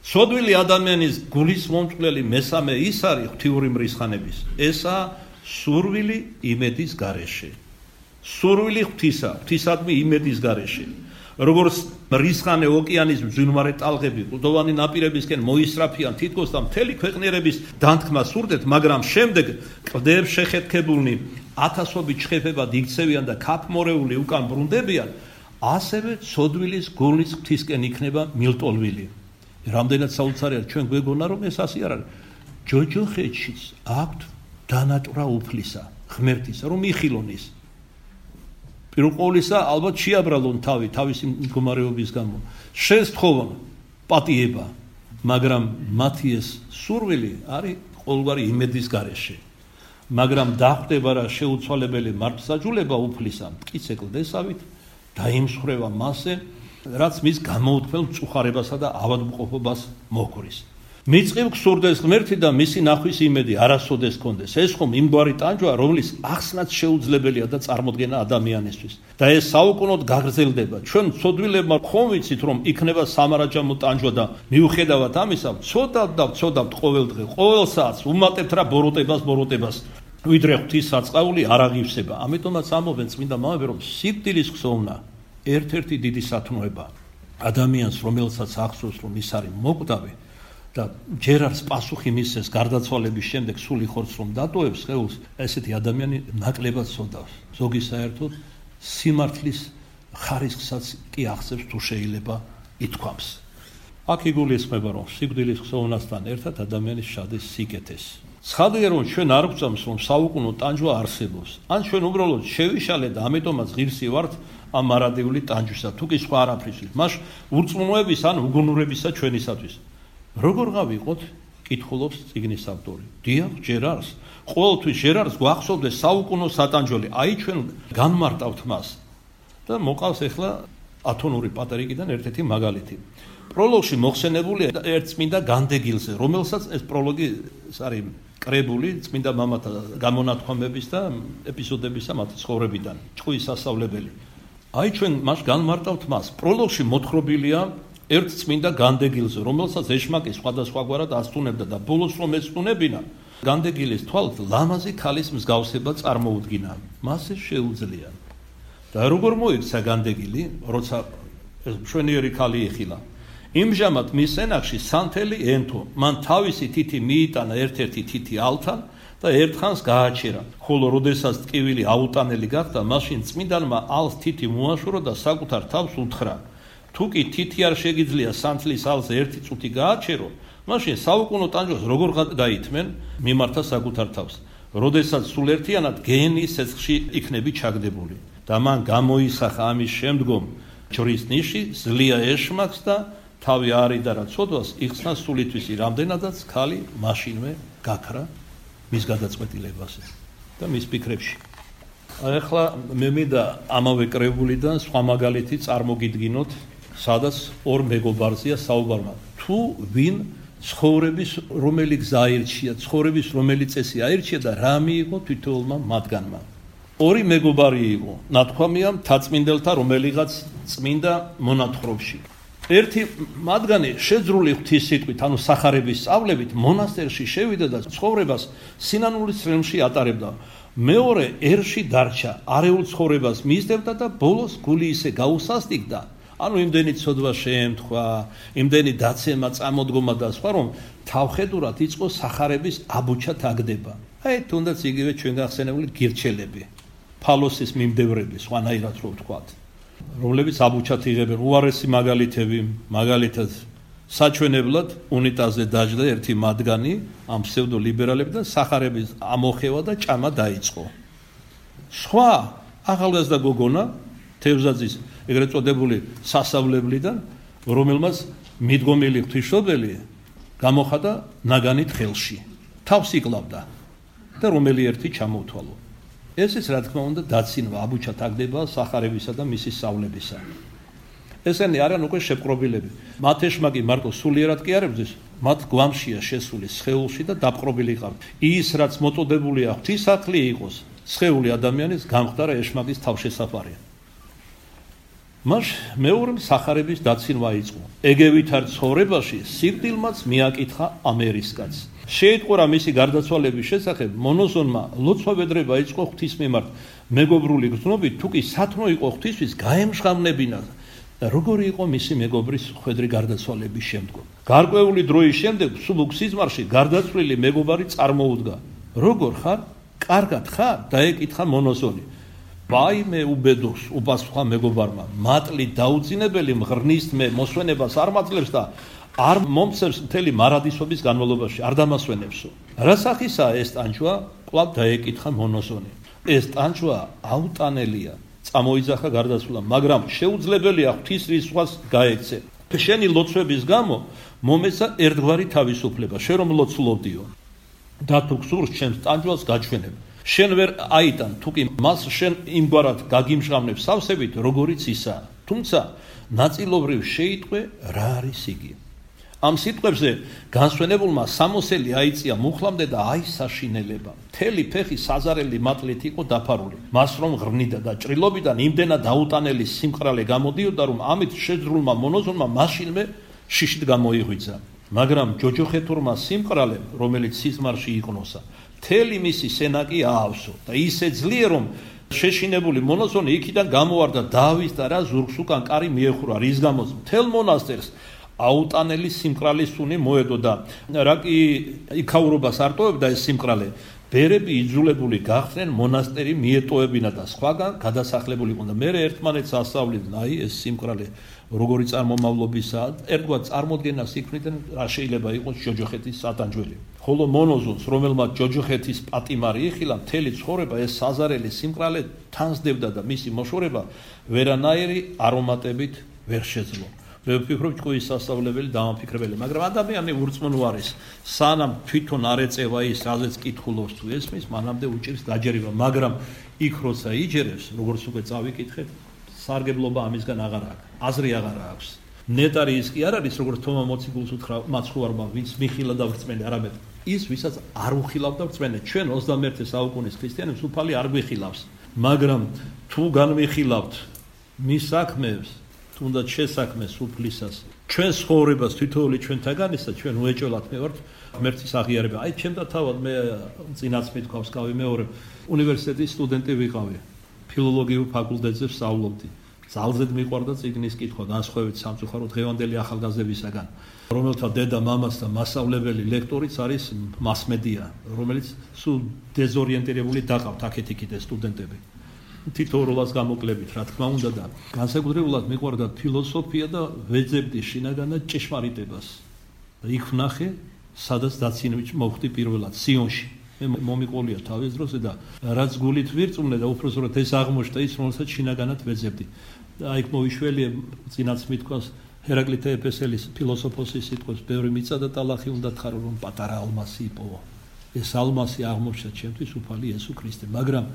ცოდვილი ადამიანის გულის მომწყვლელი მესამე ის არის ღვთიური მრისხანების. ესაა სურვილი იმედის გარეშე. სურვილი ღვთისა, ღვთისადმი იმედის გარეშე. როგორც მრისხანე ოკეანის მძვინვარე ტალღები კლდოვანი ნაპირებისკენ მოისრაფიან თითქოს და მთელი ქვეყნიერების დანთქმა სურდეთ, მაგრამ შემდეგ კლდეებს შეხეთქებულნი ათასობით ჩხეფებად იქცევიან და ქაფმორეული უკან ბრუნდებიან, ასევე ცოდვილის გულის ღვთისკენ იქნება მილტოლვილი. რამდენად საოცარია ჩვენ გვეგონა რომ ეს ასე არ არის. ჯოჯოხეთშიც აქვთ დანატვრა უფლისა, ღმერთისა, რომ იხილონის. პირველ ყოვლისა ალბათ შეაბრალონ თავი, თავისი მდგომარეობის გამო. შესთხოვონ პატიება, მაგრამ მათი ეს სურვილი არის ყოველგვარი იმედის გარეშე. მაგრამ დახვდება რა შეუცვალებელი მართლსაჯულება უფლისა, მტკიცე კლდესავით დაიმსხვრევა მასზე, რაც მის გამოუთქმელ მწუხარებასა და ავადმყოფობას მოჰკვრის. მიწევ გსურდეს ღმერთი და მისი ნახვის იმედი არასოდეს კონდეს. ეს ხომ იმგვარი ტანჯვა, რომლის ახსნაც შეუძლებელია და წარმოდგენა ადამიანისთვის. და ეს საუკუნოდ გაგრძელდება. ჩვენ ცოდვილებმა ხომ ვიცით, რომ იქნება სამარაჯამო ტანჯვა და მიუხედავად ამისა, ცოდავთ და ცოდავთ ყოველ დღე, ყოველ საათს უმატებთ რა ბოროტებას, ბოროტებას. ვიდრე ღვთის საწყაული არ აღივსება. ამიტომაც ამობენ წმინდა მამები, რომ სიკვდილის ხსოვნა ერთ-ერთი დიდი სათნოება. ადამიანს, რომელსაც ახსოვს, რომ ის არის მოკვდავი და ჯერ არის პასუხი მისცეს გარდაცვალების შემდეგ სული ხორცს რომ დატოვებს სხეულს, ესეთი ადამიანი ნაკლებად სოდავს. ზოგი საერთოდ სიმართლის ხარისხსაც კი ახსებს თუ შეიძლება ითქვამს. აქ იგულისხმება, რომ სიკვდილის ხსოვნასთან ერთად ადამიანის შადის სიკეთეს. ცხადია, რომ ჩვენ არ გვწამს, რომ საუკუნო ტანჯვა არსებობს. ან ჩვენ უბრალოდ შევიშალეთ და ამიტომაც ღირსი ვართ ამ მარადიული ტანჯვისა, თუ კი სხვა არაფრისთვის. მას ურწმუნოების ან უგუნურებისა ჩვენისათვის. როგორ გავიყოთ? კითხულობს წიგნის ავტორი. დიახ, ჯერ არის. ყოველთვის ჯერ არის გვახსოვდეს საუკუნო სატანჯველი. აი ჩვენ განმარტავთ მას. და მოყავს ახლა ათონური პატრიკიდან ერთ-ერთი მაგალითი. პროლოგში მოხსენებულია ერთ წმინდა განდეგილზე, რომელსაც ეს პროლოგი არის კრებული წმინდა მამათა გამონათქვამების და ეპიზოდებისა მათი ცხოვრებიდან, ჭყვის სასწავლებელი. აი ჩვენ მას განმარტავთ მას. პროლოგში მოთხრობილია ერთ წმინდა განდეგილზე, რომელსაც ეშმაკი სხვადასხვაგვარად ასტუნებდა და ბოლოს რომ ეწტუნებინა, განდეგილის თვალთ ლამაზი ქალის მსგავსება წარმოუდგინა. მას ეს შეუძლია. და როგორ მოიქცა განდეგილი, როცა მშვენიერი ქალი იხილა. იმჟამად მის ენახში სანთელი ენთო, მან თავისი თითი მიიტანა ერთ-ერთი თითი ალთან და ერთხანს გააჩერა. ხოლო როდესაც ტკივილი აუტანელი გახდა, მაშინ წმინდანმა ალს თითი მოაშორო და საკუთარ თავს უთხრა. თუ კი თითი არ შეგიძლია სანთლის ალზე ერთი წუთი გააჩერო, მაშინ საუკუნო ტანჯვას როგორ გაითმენ? მიმართა საკუთარ თავს. როდესაც სულ ერთიანად გენის ცეცხლში იქნები ჩაგდებული. და მან გამოისახა ამის შემდგომ ჯვრის ნიში, ზლია ეშმაკს და თავი არიდა რა ცოდვას იხსნა სულითვისი, რამდენადაც ქალი მაშინვე გაქრა მის გადაწყვეტილებაზე და მის ფიქრებში. ახლა მე მინდა ამავე კრებულიდან სხვა მაგალითი წარმოგიდგინოთ, სადაც ორ მეგობარზეა საუბარმა. თუ ვინ ცხოვრების რომელი გზა აირჩია, ცხოვრების რომელი წესი აირჩია და რა მიიღო თითოეულმა მათგანმა. ორი მეგობარი იყო, ნათქვამია მთაწმინდელთა რომელიღაც წმინდა მონათხრობში. ერთი მათგანი შეძრული ღვთის სიტყვით, ანუ სახარების სწავლებით მონასტერში შევიდა და ცხოვრებას სინანულის წრემში ატარებდა. მეორე ერში დარჩა, არეულ ცხოვრებას მისდევდა და ბოლოს გული ისე გაუსასტიკდა, ანუ იმდენი ცოდვა შეემთხვა, იმდენი დაცემა, წამოდგომა და სხვა, რომ თავხედურად იწყო სახარების აბუჩა თაგდება. აი თუნდაც იგივე ჩვენ გახსენებული გირჩელები, ფალოსის მიმდევრები, სხვანაირად რო ვთქვათ, რომლებიც აბუჩათ იღებენ. უარესი მაგალითები, მაგალითად საჩვენებლად უნიტაზზე დაჯდა ერთი მათგანი ამ ფსევდოლიბერალებიდან სახარების ამოხევა და ჭამა დაიწყო. სხვა ახალგაზრდა გოგონა თევზაძის ეგრეთ წოდებული სასავლებლიდან, რომელმაც მიდგომილი ღვთისმშობელი გამოხატა ნაგანით ხელში, თავს იკლავდა და რომელი ერთი ჩამოუთვალო. ესეც რა თქმა უნდა დაცინვა, აბუჩა თაგდება სახარებისა და მისი სწავლებისა. ესენი არიან უკვე შეპყრობილები. მათ ეშმაკი მარტო სულიერად კი არ ებრძვის, მათ გვამშია შესული სხეულში და დაპყრობილი ყავთ. ის რაც მოწოდებულია ღვთისმსახლი იყოს, სხეული ადამიანის გამხდარა ეშმაკის თავშესაფარია. მას მეორემ სახარების დაცინვა იწყო. ეგევით არ ცხოვრებაში სიკვდილმაც მიაკითხა ამერისკაც. შეიტყურა მისი გარდაცვალების შესახებ, მონოზონმა ლოცვა-ბედრება იწყო ღვთის მიმართ. მეგობრული გრძნობით, თუ კი სათნო იყო ღვთისთვის, გაემშღავნებინა და როგორი იყო მისი მეგობრის ხვედრი გარდაცვალების შემდგომ. გარკვეული დროის შემდეგ სულუկ სიზმარში გარდაცვლილი მეგობარი წარმოუდგა. როგორ ხარ? კარგად ხარ? დაეკითხა მონოზონი. ვაიმე უბედოს უპასუხა მეგობარმა, მატლი დაუძინებელი მღრნის მე მოსვენებას არ მაძლევს და არ მომცემს მთელი მარადისობის განმავლობაში, არ დამასვენებსო. რა სახისაა ეს ტანჯვა? კვლავ დაეკითხა მონოზონი. ეს ტანჯვა აუტანელია, წამოიძახა გარდაცვლილმა, მაგრამ შეუძლებელია ღვთის რისხვას გაექცე. შენი ლოცვების გამო მომეცა ერთგვარი თავისუფლება, შენ რომ ლოცულობდიო. და თუ გსურს ჩემს ტანჯვალს გაჩვენებ. შენ ვერ აიტან, თუკი მას შენ იმგვარად გაგიმჟღავნებ სავსებით, როგორიც ისაა. თუმცა ნაწილობრივ შეიტყვე რა არის იგი. ამ სიტყვებზე განსვენებულმა სამოსელი აიწია მუხლამდე და აისაშინელება. მთელი ფეხი საზარელი მატლით იყო დაფარული. მას რომ ღრნიდა და ჭრილობიდან იმდენად აუტანელი სიმყრალე გამოდიოდა, რომ ამით შეძრულმა მონოზონმა მაშინვე შიშით გამოიღვიძა. მაგრამ ჯოჯოხეთურმა სიმყრალემ, რომელიც სიზმარში იყნოსა, მთელი მისი სენაკი აავსო და ისე ძლიერ რომ შეშინებული მონოზონი იქიდან გამოვარდა დაავისდა რა ზურგს უკან კარი მიეხურა, რის გამოც მთელ მონასტერს აუტანელი სიმყრალის სუნი მოედო და რა კი იქაურობას არტოვებდა ეს სიმყრალე, ბერები იძულებული გახდნენ მონასტერი მიეტოვებინა და სხვაგან გადასახლებული იყვნენ და მერე ერთმანეთს ასწავლიდნენ, აი ეს სიმყრალე როგორი წარმომავლობისაა, ერთგვარ წარმოდგენას იქმნიდნენ, რა შეიძლება იყოს ჯოჯოხეთის სატანჯველი. ხოლო მონოზონს, რომელმაც ჯოჯოხეთის პატიმარი იხილა, მთელი ცხოვრება ეს საზარელი სიმყრალე თანსდებდა და მისი მოშორება ვერანაირი არომატებით ვერ შეძლო. მე ვფიქრობ, ჭკუის სასწავლებელი დამაფიქრებელი, მაგრამ ადამიანი ურწმუნო არის, სანამ თვითონ არ ეწევა ის, რაზეც კითხულობს თუ ესმის, მანამდე უჭირს დაჯერება, მაგრამ იქ როცა იჯერებს, როგორც უკვე წავიკითხეთ, სარგებლობა ამისგან აღარ აქვს, აზრი აღარ აქვს. ნეტარი ის კი არ არის, როგორც თომა მოციქულს უთხრა მაცხოვარმა, ვინც მიხილა და ვრწმენე, არამედ ის, ვისაც არ უხილავდა ვრწმენე. ჩვენ ოცდამეერთე საუკუნის ქრისტიანებს უფალი არ გვიხილავს, მაგრამ თუ განვიხილავთ მის საქმეს, თუნდაც შესაქმეს უფლისას, ჩვენ ცხოვრებას თითოეული ჩვენთაგანისა, ჩვენ უეჭველად მე ვართ ღმერთის აღიარება. აი, ჩემდა თავად მე წინაც მithქვავს გავი მეორე უნივერსიტეტის სტუდენტი ვიყავი. ფილოლოგიურ ფაკულტეტზე ვსწავლობდი. ძალზედ მიყვარდა წიგნის კითხვა, განსხვავებით სამწუხაროდ დღევანდელი ახალგაზრდებისაგან, რომელთა დედა, მამაც და მასწავლებელი ლექტორიც არის მასმედია, რომელიც სულ დეზორიენტირებული დაყავთ აქეთ-იქით ეს სტუდენტები. თითოეულას გამოკლებით, რა თქმა უნდა და განსაკუთრებულად მიყვარდა ფილოსოფია და ვეძებდი შინაგანად ჭეშმარიტებას. და იქ ვნახე, სადაც დაცინვით მოხვდი პირველად სიონში. მე მომიყოლია თავის დროზე და რაც გულით ვირწმუნე და უпроსტად ეს აღმოჩნდა ის, რომელსაც შინაგანად ვეძებდი. და იქ მოვიშველიე, წინაც მithქვას ჰერაკლიტე ეფესელის ფილოსოფოსის სიტყვებს, ბევრი მიწა და ტალახი უნდა თხარო, რომ პატარა ალმასი იპოვა. ეს ალმასი აღმოჩნდა ჩემთვის უფალი იესო ქრისტე, მაგრამ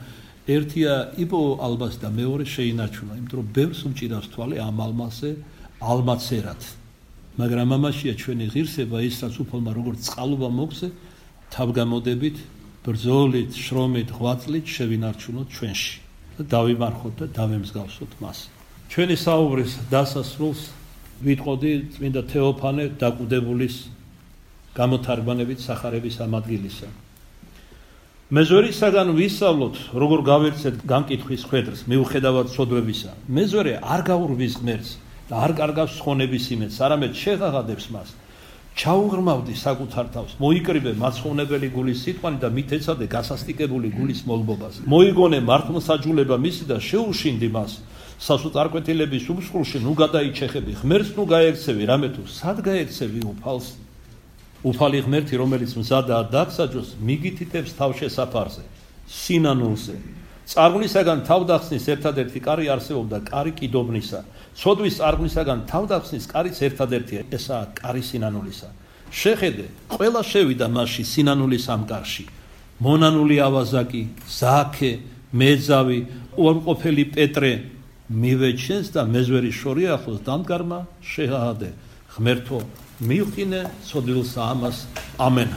ერთია იპოვო ალმასი და მეორე შეინარჩუნა, იმიტომ რომ ბევრს უმჭირავს თვალი ამ ალმასზე ალმაცერად. მაგრამ ამაშია ჩვენი ღირსება, ის რაც უფალმა როგორც წყალობა მოგზე, თავგამოდებით, ბრძოლით, შრომით, ღვაწლით შევინარჩუნოთ ჩვენში და დავიმარხოთ და დავემსგავსოთ მას. ჩვენი საუბრის დასასრულს ვიტყოდი წმინდა თეოფანე დაკვდებულის გამოთარგმანებით სახარების ამ ადგილისა. მეზვერისაგან ვისწავლოთ, როგორ გავერცეთ განკითხვის ხვედრს, მიუხედავად სოდვებისა. მეზვერე არ გაურვის ღმერთს და არ კარგავს ხონების იმედს, არამედ შეღაღადებს მას. ჩაუღრმავდი საკუთარ თავს, მოიკრიბე მაცხოვნებელი გულის სიტყვანი და მით ეცადე გასასტიკებული გულის მოლბობას. მოიგონე მართლმსაჯულება მისი და შეუშინდი მას. სასოწარკვეთილების უმსხვილში ნუ გადაიჩეხები, ღმერთს ნუ გაექცევი, რამე თუ სად გაექცევი უფალს? უფალი ღმერთი, რომელიც მზადაა დაგსაჯოს, მიგითითებს თავშესაფარზე, სინანულზე. წარღვნისაგან თავდახსნის ერთადერთი კარი არსებობდა, კარი კიდობნისა. ცოდვის წარღვნისაგან თავდახსნის კარიც ერთადერთია, ესაა კარი სინანულისა. შეხედე, ყველა შევიდა მასში სინანულის ამ კარში. მონანული ავაზაკი, ზაქე, მეძავი, უარყოფელი პეტრე, მივეჩენს და მეზვერის შორი ახლოს დამდგარმა შეღადე. ღმერთო, მივყინე ცოდვილსა ამას. ამენ.